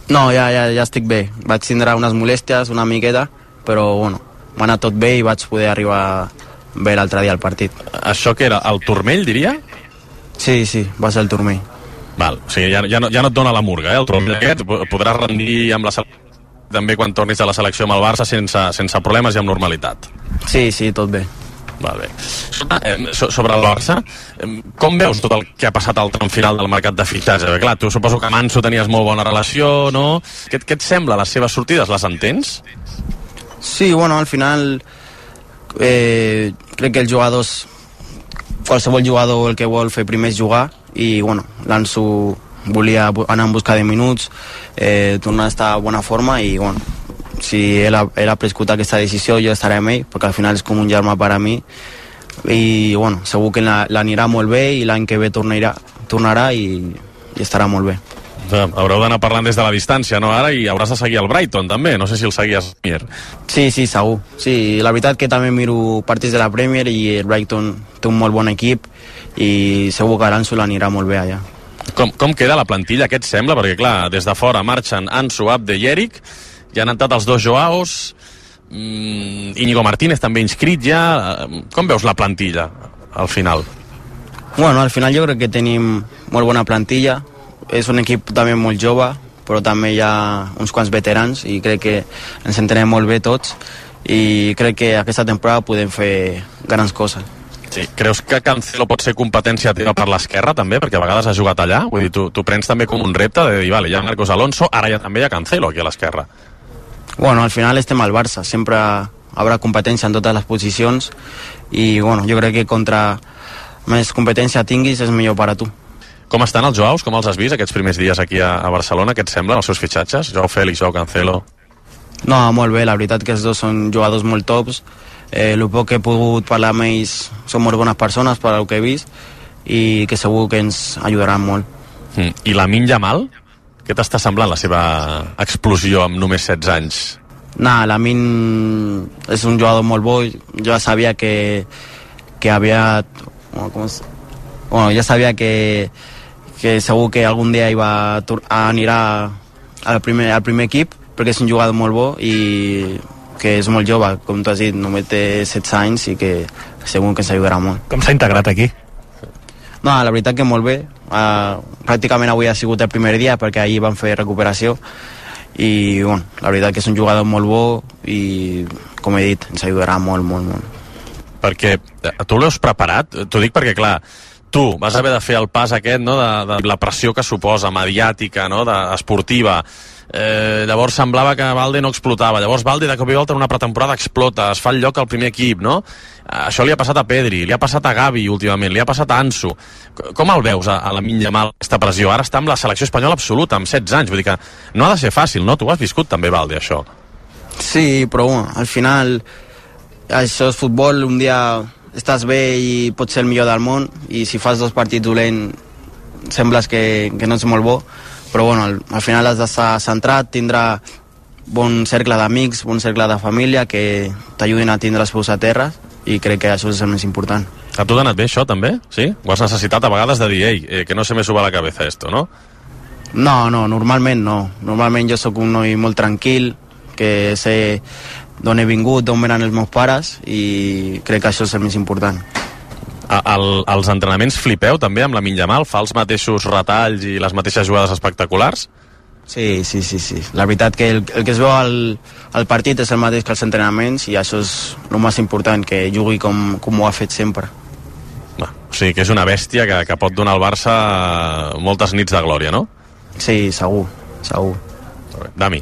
No, ja estic bé. Vaig tindre unes molèsties una miqueta, però bueno, m'ha anat tot bé i vaig poder arribar bé l'altre dia al partit. Això que era el turmell, diria? Sí, va ser el turmell. Val, o sigui, ja no et dona la murga, el turmell aquest, podràs rendir amb la selecció també quan tornis a la selecció amb el Barça sense problemes i amb normalitat. Sí, tot bé. Val, bé. Sobre el Barça, com veus tot el que ha passat al tram final del mercat de fitxatge? Clar, tu suposo que amb Ansu tenies molt bona relació, no? Què et sembla, les seves sortides? Les entens? Sí, bueno, al final crec que els jugadors, qualsevol jugador el que vol fer primer és jugar, i bueno, l'Ansu volia anar en busca de minuts, tornar a estar a bona forma, i bueno, si ell ha prescut aquesta decisió jo estaré amb ell, perquè al final és com un germà per a mi, i bueno, segur que l'anirà molt bé i l'any que ve tornarà i estarà molt bé. Haureu d'anar parlant des de la distància, no, ara? I hauràs de seguir el Brighton, també. No sé si el seguies, Mier. Sí, segur. Sí, la veritat que també miro partits de la Premier i el Brighton té un molt bon equip i segur que l'Ansu l'anirà molt bé allà. Com queda la plantilla, què et sembla? Perquè, clar, des de fora marxen Ansu, Abde i Eric, ja han entrat els dos Joaos, Íñigo Martínez també inscrit ja. Com veus la plantilla, al final? Bueno, al final jo crec que tenim molt bona plantilla. És un equip també molt jove, però també hi ha uns quants veterans i crec que ens entenem molt bé tots i crec que aquesta temporada podem fer grans coses. Sí. Creus que Cancelo pot ser competència teva per l'esquerra també? Perquè a vegades ha jugat allà. Vull dir, tu prens també com un repte de dir, vale, hi ha Marcos Alonso, ara també hi ha Cancelo aquí a l'esquerra. Bueno, al final estem al Barça, sempre haurà competència en totes les posicions i bueno, jo crec que contra més competència tinguis és millor per a tu. Com estan els Joaos? Com els has vist aquests primers dies aquí a Barcelona? Què et semblen els seus fitxatges? Joao Félix, Joao Cancelo? No, molt bé, la veritat que els dos són jugadors molt tops. El poc que he pogut parlar amb ells són molt bones persones per al que he vist i que segur que ens ajudaran molt. I Lamine Yamal? Què t'està semblant la seva explosió amb només 16 anys? Lamine és un jugador molt bo. Jo sabia que havia... ja sabia que segur que algun dia anirà al primer equip, perquè és un jugador molt bo i que és molt jove, com tu has dit, només té 16 anys i que segur que ens ajudarà molt. Com s'ha integrat aquí? No, la veritat que molt bé. Pràcticament avui ha sigut el primer dia perquè ahir van fer recuperació i bueno, la veritat que és un jugador molt bo i, com he dit, ens ajudarà molt, molt, molt. Perquè tu l'has preparat? T'ho dic perquè, clar, tu vas haver de fer el pas aquest, no?, de la pressió que suposa, mediàtica, no?, esportiva. Llavors semblava que Valde no explotava. Llavors Valde de cop i volta en una pretemporada explota, es fa el lloc al primer equip, no? Això li ha passat a Pedri, li ha passat a Gavi últimament, li ha passat a Ansu. Com el veus a Lamine Yamal, aquesta pressió? Ara està amb la selecció espanyola absoluta, amb 16 anys. Vull dir que no ha de ser fàcil, no? Tu ho has viscut també, Valde, això. Sí, però al final això és futbol, un dia estàs bé i pots ser el millor del món i si fas 2 partits dolents sembles que no ets molt bo, però bueno, al final has d'estar centrat, tindrà bon cercle d'amics, bon cercle de família que t'ajudin a tindre els peus a terra i crec que això és el més important. A tu t'ha anat bé això també? Sí? Ho has necessitat a vegades de dir, que no se me suba a la cabeza esto, no? No, normalment no. Normalment jo sóc un noi molt tranquil, que sé d'on he vingut, d'on venen els meus pares i crec que això és el més important. Els entrenaments flipeu també amb Lamine Yamal? Fa els mateixos retalls i les mateixes jugades espectaculars? Sí. La veritat que el que es veu al partit és el mateix que els entrenaments i això és el més important, que jugui com ho ha fet sempre. O sigui que és una bèstia que pot donar al Barça moltes nits de glòria, no? Sí, segur. Dami.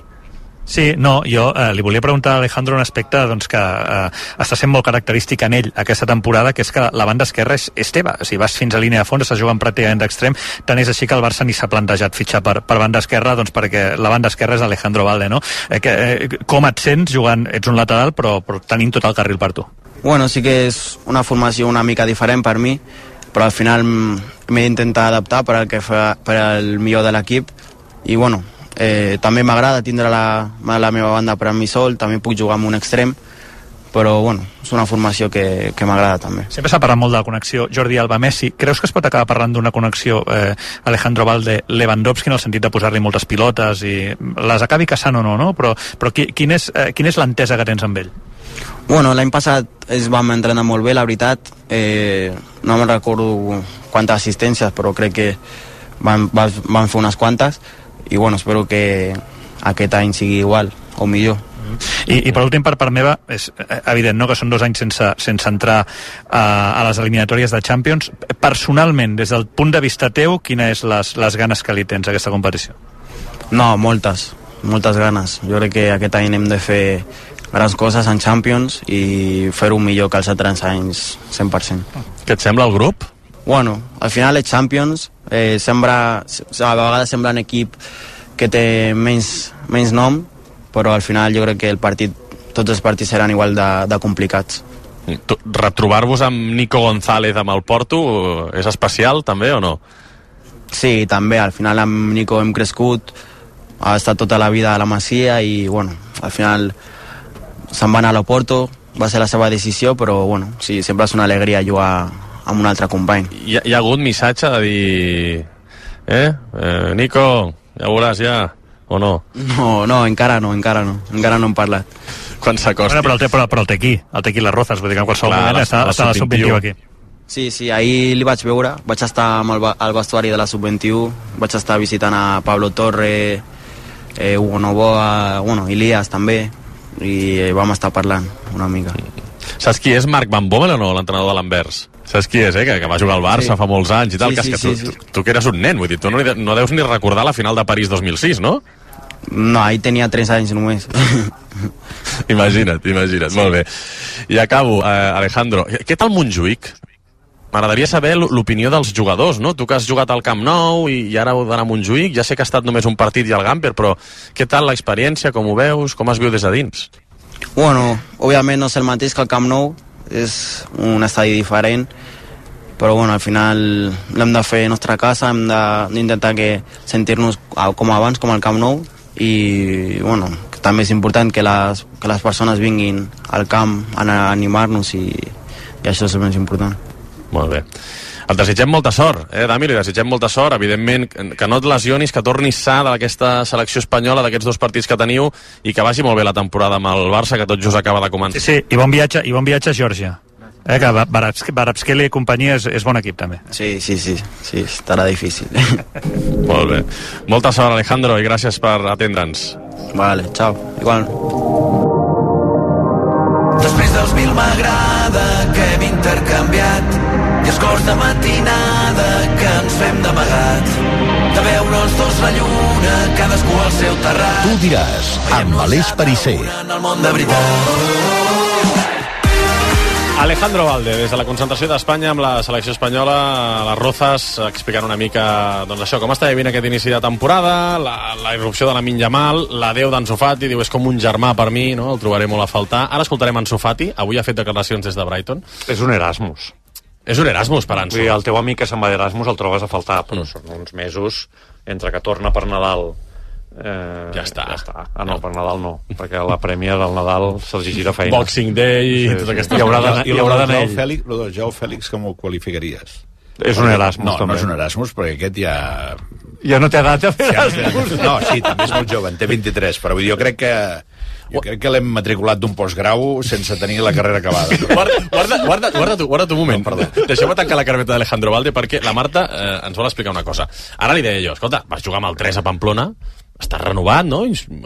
Sí, no, jo li volia preguntar a Alejandro un aspecte doncs, que està sent molt característic en ell aquesta temporada, que és que la banda esquerra és teva. O sigui, vas fins a línia de fons, estàs jugant pràcticament d'extrem, tant és així que el Barça ni s'ha plantejat fitxar per banda esquerra, doncs perquè la banda esquerra és Alejandro Valde, no? Com et sents jugant? Ets un lateral, però tenint tot el carril per tu. Bueno, sí que és una formació una mica diferent per mi, però al final m'he d'intentar adaptar per al millor de l'equip i bueno, també m'agrada tindre la meva banda per a mi sol, també puc jugar amb un extrem, però bueno, és una formació que m'agrada també. Sempre s'ha parlat molt de la connexió Jordi Alba-Messi. Creus que es pot acabar parlant d'una connexió Alejandro Valde-Lewandowski en el sentit de posar-li moltes pilotes i les acabi caçant o no, no? Però quina és l'entesa que tens amb ell? Bueno, l'any passat vam entrenar molt bé, la veritat. No me'n recordo quantes assistències, però crec que van fer unes quantes i bueno, espero que aquest any sigui igual o millor. I per últim, per part meva, és evident, no?, que són 2 anys sense entrar a les eliminatòries de Champions. Personalment, des del punt de vista teu, quines les ganes que li tens a aquesta competició? No, moltes ganes. Jo crec que aquest any hem de fer grans coses en Champions i fer-ho millor que els altres anys 100%. Què et sembla el grup? Bueno, al final els Champions a vegades sembla un equip que té menys nom, però al final jo crec que tots els partits seran igual de complicats. Retrobar-vos amb Nico González amb el Porto és especial també o no? Sí, també, al final amb Nico hem crescut, ha estat tota la vida a la Masia i bueno, al final se'n va anar a l'Oporto, va ser la seva decisió, però bueno, sí, sempre és una alegria jugar amb un altre company. Hi ha hagut missatge de dir Nico, ja veuràs ja, o no? No, encara no hem parlat. Quan s'acosti. Però el té aquí les Rozas, vull dir que en qualsevol moment està a la sub-21 aquí. Sí, ahir li vaig veure, vaig estar amb el vestuari de la sub-21, vaig estar visitant a Pablo Torre, Hugo Novoa, bueno, Ilias també, i vam estar parlant una mica. Saps qui és Marc Van Bommel o no, l'entrenador de l'Anvers? Saps qui és, que va jugar al Barça fa molts anys i tal, tu que eres un nen, vull dir, tu no deus ni recordar la final de París 2006, no? No, ahir tenia 3 anys només. Imagina't, molt bé. I acabo, Alejandro, què tal Montjuïc? M'agradaria saber l'opinió dels jugadors, no? Tu que has jugat al Camp Nou i ara heu d'anar a Montjuïc, ja sé que ha estat només un partit i al Gamper, però què tal l'experiència, com ho veus, com es viu des de dins? Bueno, òbviament no és el mateix que el Camp Nou, és un estadi diferent, però bueno, al final l'hem de fer a nostra casa, hem d'intentar sentir-nos com abans, com al Camp Nou, i bueno, també és important que les persones vinguin al camp a animar-nos i això és el més important. Molt bé. Et desitgem molta sort, Dami, li desitgem molta sort, evidentment, que no et lesionis, que tornis sa d'aquesta selecció espanyola, d'aquests 2 partits que teniu, i que vagi molt bé la temporada amb el Barça, que tot just acaba de començar. Sí, i bon viatge a Geòrgia. Que Varabskeli i companyia és bon equip, també. Sí, estarà difícil. Molt bé. Molta sort, Alejandro, i gràcies per atendre'ns. Vale, ciao. Igual. Després dels 1000 m'agrada que hem intercanviat i escorts de matinada que ens fem d'amagat, de veure'ls 2 la lluna, cadascú al seu terrat. Tu diràs, amb Aleix Perisser. En el món de veritat. Alejandro Valde, des de la concentració d'Espanya amb la selecció espanyola, a les Rozas, explicant una mica doncs això, com està vivint aquest inici de temporada, la irrupció de Lamine Yamal, l'adeu d'Ansu Fati, diu és com un germà per mi, no? El trobaré molt a faltar. Ara escoltarem Ansu Fati, avui ha fet declaracions des de Brighton. És un Erasmus. És un Erasmus per Ansu. El teu amic que se'n va d'Erasmus el trobes a faltar, però són uns mesos entre que torna per Nadal. Ja està. No, per Nadal no, perquè la prèmia del Nadal se'ls gira feina. Boxing Day i tota aquesta... I haurà d'anar ell. Lo del Joao Fèlix, com ho qualificaries? És un Erasmus, també. No és un Erasmus, perquè aquest ja... Ja no té edat de fer Erasmus. No, sí, també és molt jove, en té 23, però jo crec que l'hem matriculat d'un postgrau sense tenir la carrera acabada. Guarda tu un moment. No, deixeu-me tancar la carpeta d'Alejandro Valde perquè la Marta ens vol explicar una cosa. Ara li deia jo, escolta, vas jugar amb el 3 a Pamplona, estàs renovat, no?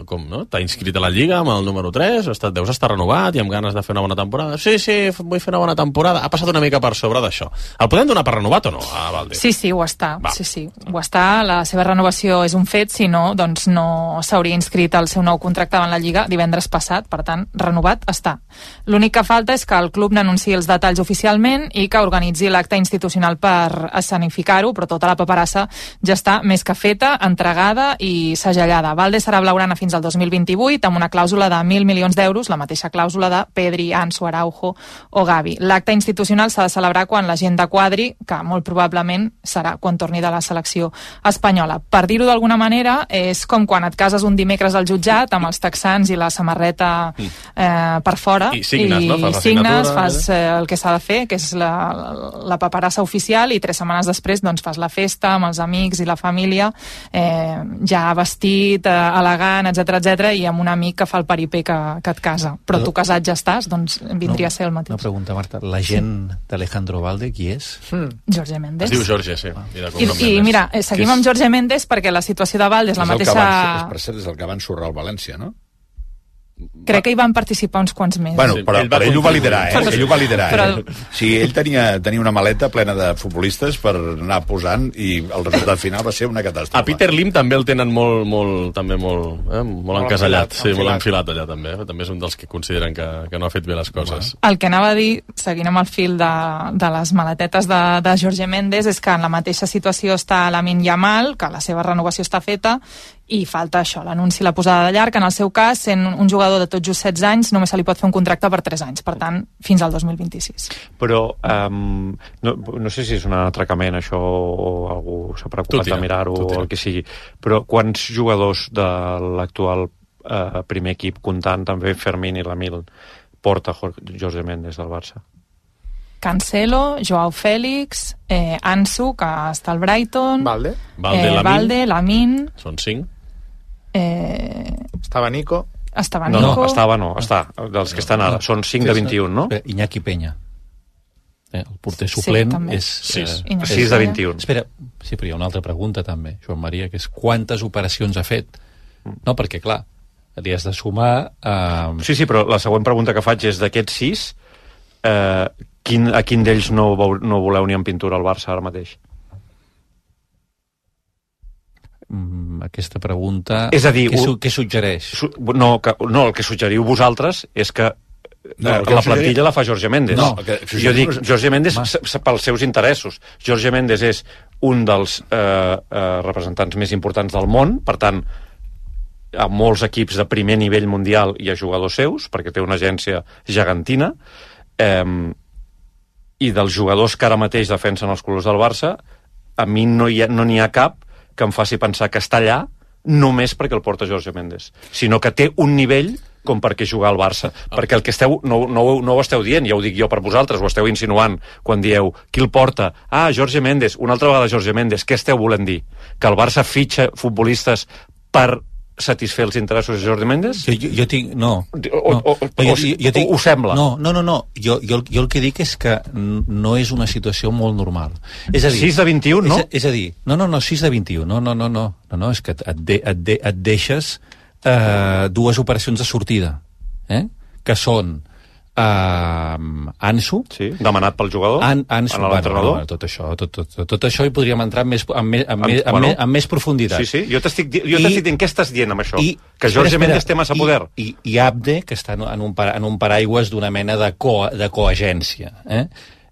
Com, no? T'ha inscrit a la Lliga amb el número 3, deus estar renovat i amb ganes de fer una bona temporada. Sí, vull fer una bona temporada. Ha passat una mica per sobre d'això. El podem donar per renovat o no, a Valde? Sí, ho està. Sí. Ho està. La seva renovació és un fet, si no, doncs no s'hauria inscrit el seu nou contracte en la Lliga divendres passat, per tant, renovat està. L'únic que falta és que el club n'anunciï els detalls oficialment i que organitzi l'acte institucional per escenificar-ho, però tota la paperassa ja està més que feta, entregada i segellada afusellada. Valde serà blaugrana fins al 2028 amb una clàusula de 1.000 milions d'euros, la mateixa clàusula de Pedri, Ansu, Araujo o Gavi. L'acte institucional s'ha de celebrar quan la gent de quadri, que molt probablement serà quan torni de la selecció espanyola. Per dir-ho d'alguna manera, és com quan et cases un dimecres al jutjat amb els texans i la samarreta per fora. I signes, no? Fas la signes, signatura, fas el que s'ha de fer, que és la paperassa oficial, i 3 setmanes després doncs, fas la festa amb els amics i la família, ja vestit, elegant, etc, i amb un amic que fa el peripé que et casa. Però tu casat ja estàs, doncs vindria a ser el mateix. Una pregunta, Marta. La gent d'Alejandro Valde, qui és? Jorge Méndez. Es diu Jorge, sí. I mira, seguim amb Jorge Méndez perquè la situació de Valde és la mateixa... Per cert, és el que va ensorrar el València, no? Crec que hi van participar uns quants més. Bueno, però ell ho va liderar, Ell ho va liderar, Però- Sí, ell tenia una maleta plena de futbolistes per anar posant i el resultat final va ser una catàstrofe. A Peter Lim també el tenen molt encasellat, molt enfilat allà també. També és un dels que consideren que no ha fet bé les coses. El que anava a dir, seguint amb el fil de les maletetes de Jorge Méndez, és que en la mateixa situació està Lamine Yamal, que la seva renovació està feta, i falta això, l'anunci i la posada de llarg. En el seu cas, sent un jugador de tot just 16 anys, només se li pot fer un contracte per 3 anys, per tant, fins al 2026. Però no sé si és un atracament això o algú s'ha preocupat de mirar-ho o el que sigui, però quants jugadors de l'actual primer equip, comptant també Fermín i Lamine, porta Jorge Méndez del Barça? Cancelo, Joao Félix, Ansu, que està al Brighton, Valde, Lamine... Són 5. Estava Nico. Estava dels que estan ara. Són 5 de 21, no? Iñaki Peña. El porter suplent també. és... 6 de 21. Espera, sí, però hi ha una altra pregunta també, Joan Maria, que és quantes operacions ha fet? No, perquè clar, li has de sumar... Sí, però la següent pregunta que faig és d'aquests 6, a quin d'ells no voleu ni en pintura al Barça ara mateix? Aquesta pregunta... És a dir... Què suggereix? No, el que suggeriu vosaltres és que la plantilla la fa Jorge Méndez. Jo dic Jorge Méndez pels seus interessos. Jorge Méndez és un dels representants més importants del món, per tant, a molts equips de primer nivell mundial hi ha jugadors seus, perquè té una agència gegantina, i dels jugadors que ara mateix defensen els colors del Barça, a mi no n'hi ha cap que em faci pensar que està allà només perquè el porta Jorge Méndez, sinó que té un nivell com perquè jugar al Barça, perquè el que no ho esteu dient, ja ho dic jo per vosaltres, ho esteu insinuant quan dieu qui el porta, Jorge Méndez, una altra vegada Jorge Méndez, què esteu volent dir? Que el Barça fitxa futbolistes per satisfer els interessos de Jordi Méndez? Jo tinc... No. Ho sembla? No. Jo el que dic és que no és una situació molt normal. És a dir... 6 de 21, no? És a dir... No, 6 de 21. No, és que et deixes dues operacions de sortida, que són Ansu, demanat pel jugador, Ansu, l'entrenador. Tot això hi podríem entrar amb més profunditat. Sí, jo t'estic dient, què estàs dient amb això? Que Jorge Méndez té massa poder. I Abde, que està en un paraigües d'una mena de coagència.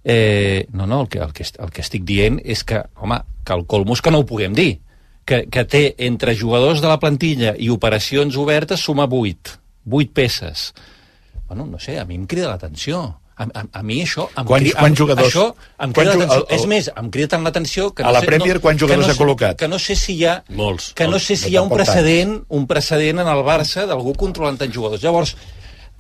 El que estic dient és que, home, que el colmo és que no ho puguem dir. Que té entre jugadors de la plantilla i operacions obertes suma 8 peces. Bueno, no sé, a mi em crida l'atenció. A mi això... Quants jugadors? Això em crida l'atenció. És més, em crida tant l'atenció... A la Premier, quants jugadors ha col·locat? Que no sé si hi ha... Molts. Que no sé si hi ha un precedent en el Barça d'algú controlant tants jugadors. Llavors,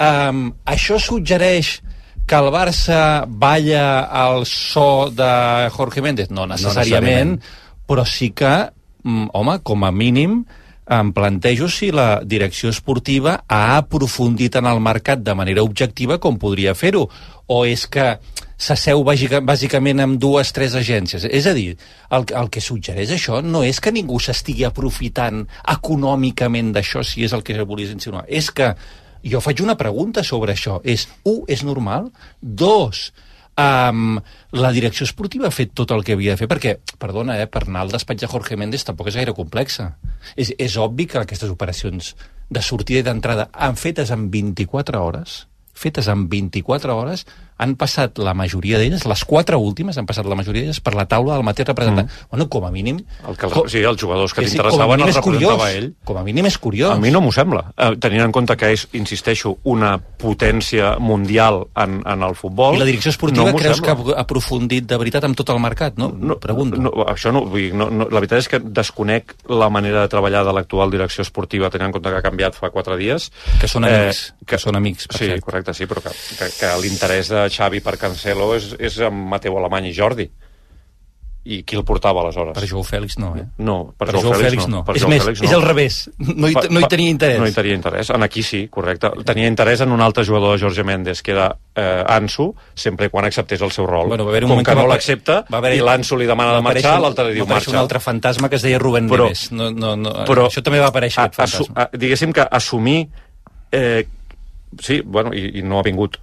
això suggereix que el Barça balla al so de Jorge Méndez? No necessàriament, però sí que, home, com a mínim... em plantejo si la direcció esportiva ha aprofundit en el mercat de manera objectiva com podria fer-ho, o és que s'asseu bàsicament amb 2-3 agències. És a dir, el que suggereix això no és que ningú s'estigui aprofitant econòmicament d'això, si és el que volies insinuar. És que jo faig una pregunta sobre això. És normal? 2, la direcció esportiva ha fet tot el que havia de fer, perquè, perdona, per anar al despatx de Jorge Méndez tampoc és gaire complexa. És obvi que aquestes operacions de sortida i d'entrada fetes en 24 hores, han passat la majoria d'elles, les 4 últimes han passat la majoria d'elles per la taula del mateix representant. Bueno, com a mínim... Sí, els jugadors que t'interessaven els representava ell. Com a mínim és curiós. A mi no m'ho sembla. Tenint en compte que és, insisteixo, una potència mundial en el futbol... I la direcció esportiva creus que ha aprofundit de veritat amb tot el mercat, no? Pregunto. Això no, la veritat és que desconec la manera de treballar de l'actual direcció esportiva, tenint en compte que ha canviat fa 4 dies. Que són amics. Que són amics, per cert. Sí, correcte, sí, però que l'interès de Xavi per Cancelo és amb Mateu Alemany i Jordi. I qui el portava aleshores? Per Joao Fèlix no, No, per Joao Fèlix no. És més, és al revés. No hi tenia interès. No hi tenia interès. En aquí sí, correcte. Tenia interès en un altre jugador de Jorge Méndez, que era Ansu, sempre quan acceptés el seu rol. Com que no l'accepta, i l'Ansu li demana de marxar, l'altre li diu marxa. Un altre fantasma que es deia Rubén Neves. Però això també va aparèixer, aquest fantasma. Diguéssim que assumir... Sí, bueno, i no ha vingut.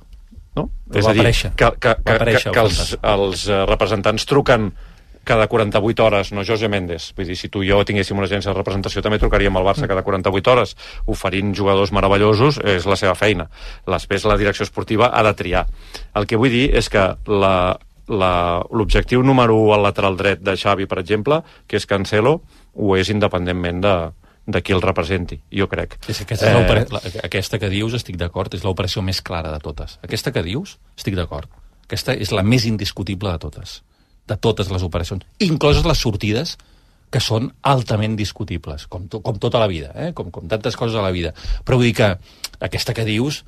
No? És a dir, que els representants truquen cada 48 hores, no Jorge Méndez. Vull dir, si tu i jo tinguéssim una agència de representació també trucaríem al Barça cada 48 hores oferint jugadors meravellosos, és la seva feina. Després la direcció esportiva ha de triar. El que vull dir és que l'objectiu número 1 al lateral dret de Xavi, per exemple, que és Cancelo, ho és independentment de qui el representi, jo crec. Aquesta que dius, estic d'acord, és l'operació més clara de totes. Aquesta que dius, estic d'acord. Aquesta és la més indiscutible de totes les operacions, incloses les sortides, que són altament discutibles, com tota la vida, com tantes coses a la vida. Però vull dir que aquesta que dius...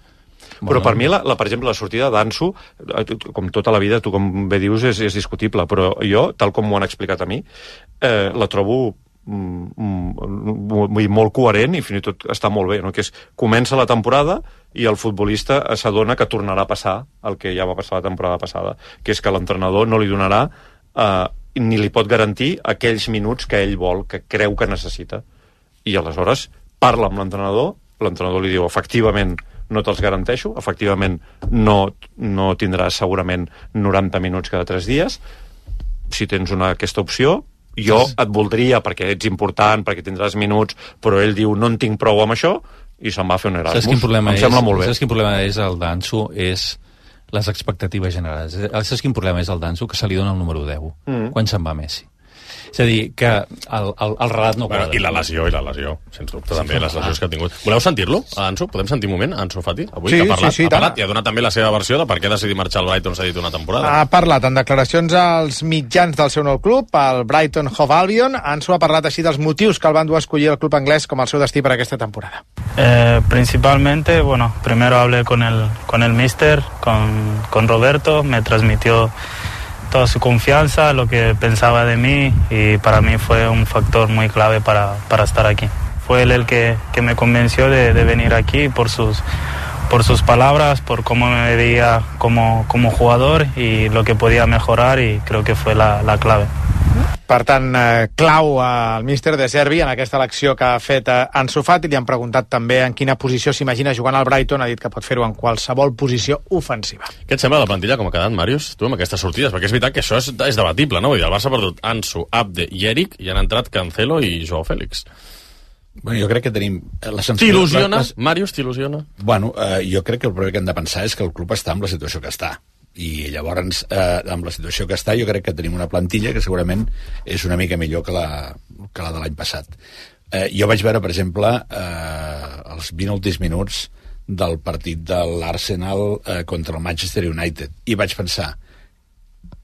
Però per mi, per exemple, la sortida d'Ansu, com tota la vida, tu com bé dius, és discutible, però jo, tal com m'ho han explicat a mi, la trobo molt coherent i fins i tot està molt bé, no? Que és, comença la temporada i el futbolista s'adona que tornarà a passar el que ja va passar la temporada passada, que és que l'entrenador no li donarà ni li pot garantir aquells minuts que ell vol, que creu que necessita, i aleshores parla amb l'entrenador li diu efectivament no te'ls garanteixo, efectivament no tindràs segurament 90 minuts cada 3 dies, si tens aquesta opció jo et voldria perquè ets important, perquè tindràs minuts, però ell diu no en tinc prou amb això i se'n va a fer un Erasmus. Em sembla molt bé. Saps quin problema és el d'Ansu? És les expectatives generals. Saps quin problema és el d'Ansu? Que se li dona el número 10 quan se'n va Messi. És a dir, que el relat no quadra. I la lesió, sens dubte, també, les lesions que ha tingut. Voleu sentir-lo, Ansu? Podem sentir un moment, Ansu Fati? Avui que ha parlat i ha donat també la seva versió de per què decidir marxar al Brighton, s'ha dit una temporada. Ha parlat en declaracions als mitjans del seu nou club, el Brighton Hove Albion. Ansu ha parlat així dels motius que el van dur a escollir el club anglès com el seu destí per aquesta temporada. Principalmente, primero hablé con el míster, con Roberto, me transmitió toda su confianza, lo que pensaba de mí, y para mí fue un factor muy clave para estar aquí. Fue él el que me convenció de venir aquí por sus palabras, por cómo me veía como jugador y lo que podía mejorar, y creo que fue la clave. Per tant, clau al míster de Servi en aquesta elecció que ha fet Ansu Fati. Li han preguntat també en quina posició s'imagina jugant al Brighton. Ha dit que pot fer-ho en qualsevol posició ofensiva. Què et sembla la plantilla com ha quedat, Màrius, tu, amb aquestes sortides? Perquè és veritat que això és debatible, no? Vull dir, el Barça ha perdut Ansu, Abde i Eric i han entrat Cancelo i Joao Fèlix. Bueno, jo crec que tenim... T'il·lusiona? Màrius, t'il·lusiona? Bueno, jo crec que el primer que hem de pensar és que el club està en la situació que està. I llavors, amb la situació que està, jo crec que tenim una plantilla que segurament és una mica millor que la de l'any passat. Jo vaig veure, per exemple, els 20 últims minuts del partit de l'Arsenal contra el Manchester United, i vaig pensar,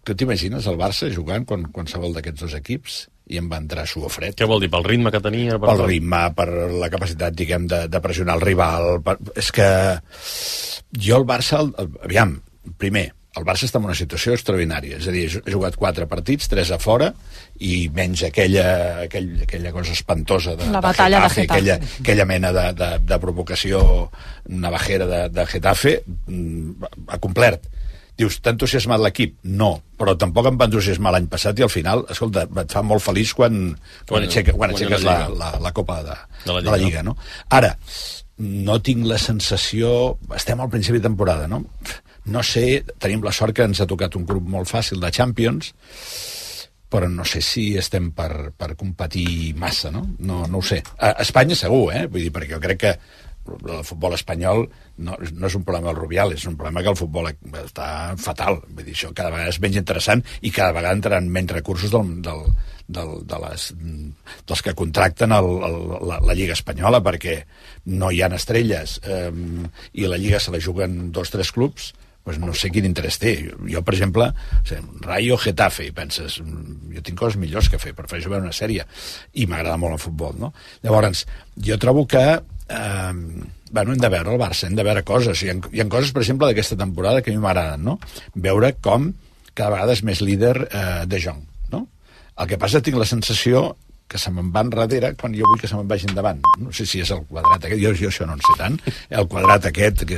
tu t'imagines el Barça jugant qualsevol d'aquests dos equips? I em va entrar suor fred. Què vol dir? Pel ritme que tenia? Pel ritme, per la capacitat, diguem, de pressionar el rival. És que jo el Barça... Aviam, primer, el Barça està en una situació extraordinària, és a dir, ha jugat 4 partits, 3 a fora, i menys aquella cosa espantosa de batalla de Getafe. Aquella mena de provocació navajera de Getafe, ha complert. Dius, t'ha entusiasmat l'equip? No, però tampoc em va entusiasmar l'any passat, i al final, escolta, et fa molt feliç quan aixeques la Copa de la Lliga, no? Ara, no tinc la sensació... Estem al principi de temporada, no? No sé, tenim la sort que ens ha tocat un grup molt fàcil de Champions, però no sé si estem per competir massa, no? No ho sé. A Espanya segur, vull dir, perquè jo crec que el futbol espanyol no és un problema del Rubiales, és un problema que el futbol està fatal. Vull dir, això cada vegada és menys interessant i cada vegada entraran menys recursos dels que contracten la Lliga Espanyola, perquè no hi ha estrelles i la Lliga se la juguen 2 o 3 clubs. Pues no sé quin interès té. Jo, per exemple, Rayo Getafe, i penses, jo tinc coses millors que fer, prefereixo veure una sèrie, i m'agrada molt el futbol, no? Llavors, jo trobo que hem de veure el Barça, hem de veure coses. Hi ha coses, per exemple, d'aquesta temporada que a mi m'agraden, no? Veure com cada vegada és més líder De Jong, no? El que passa, tinc la sensació que se me'n va enrere quan jo vull que se me'n vagi endavant. No sé si és el quadrat aquest, jo això no en sé tant, el quadrat aquest que és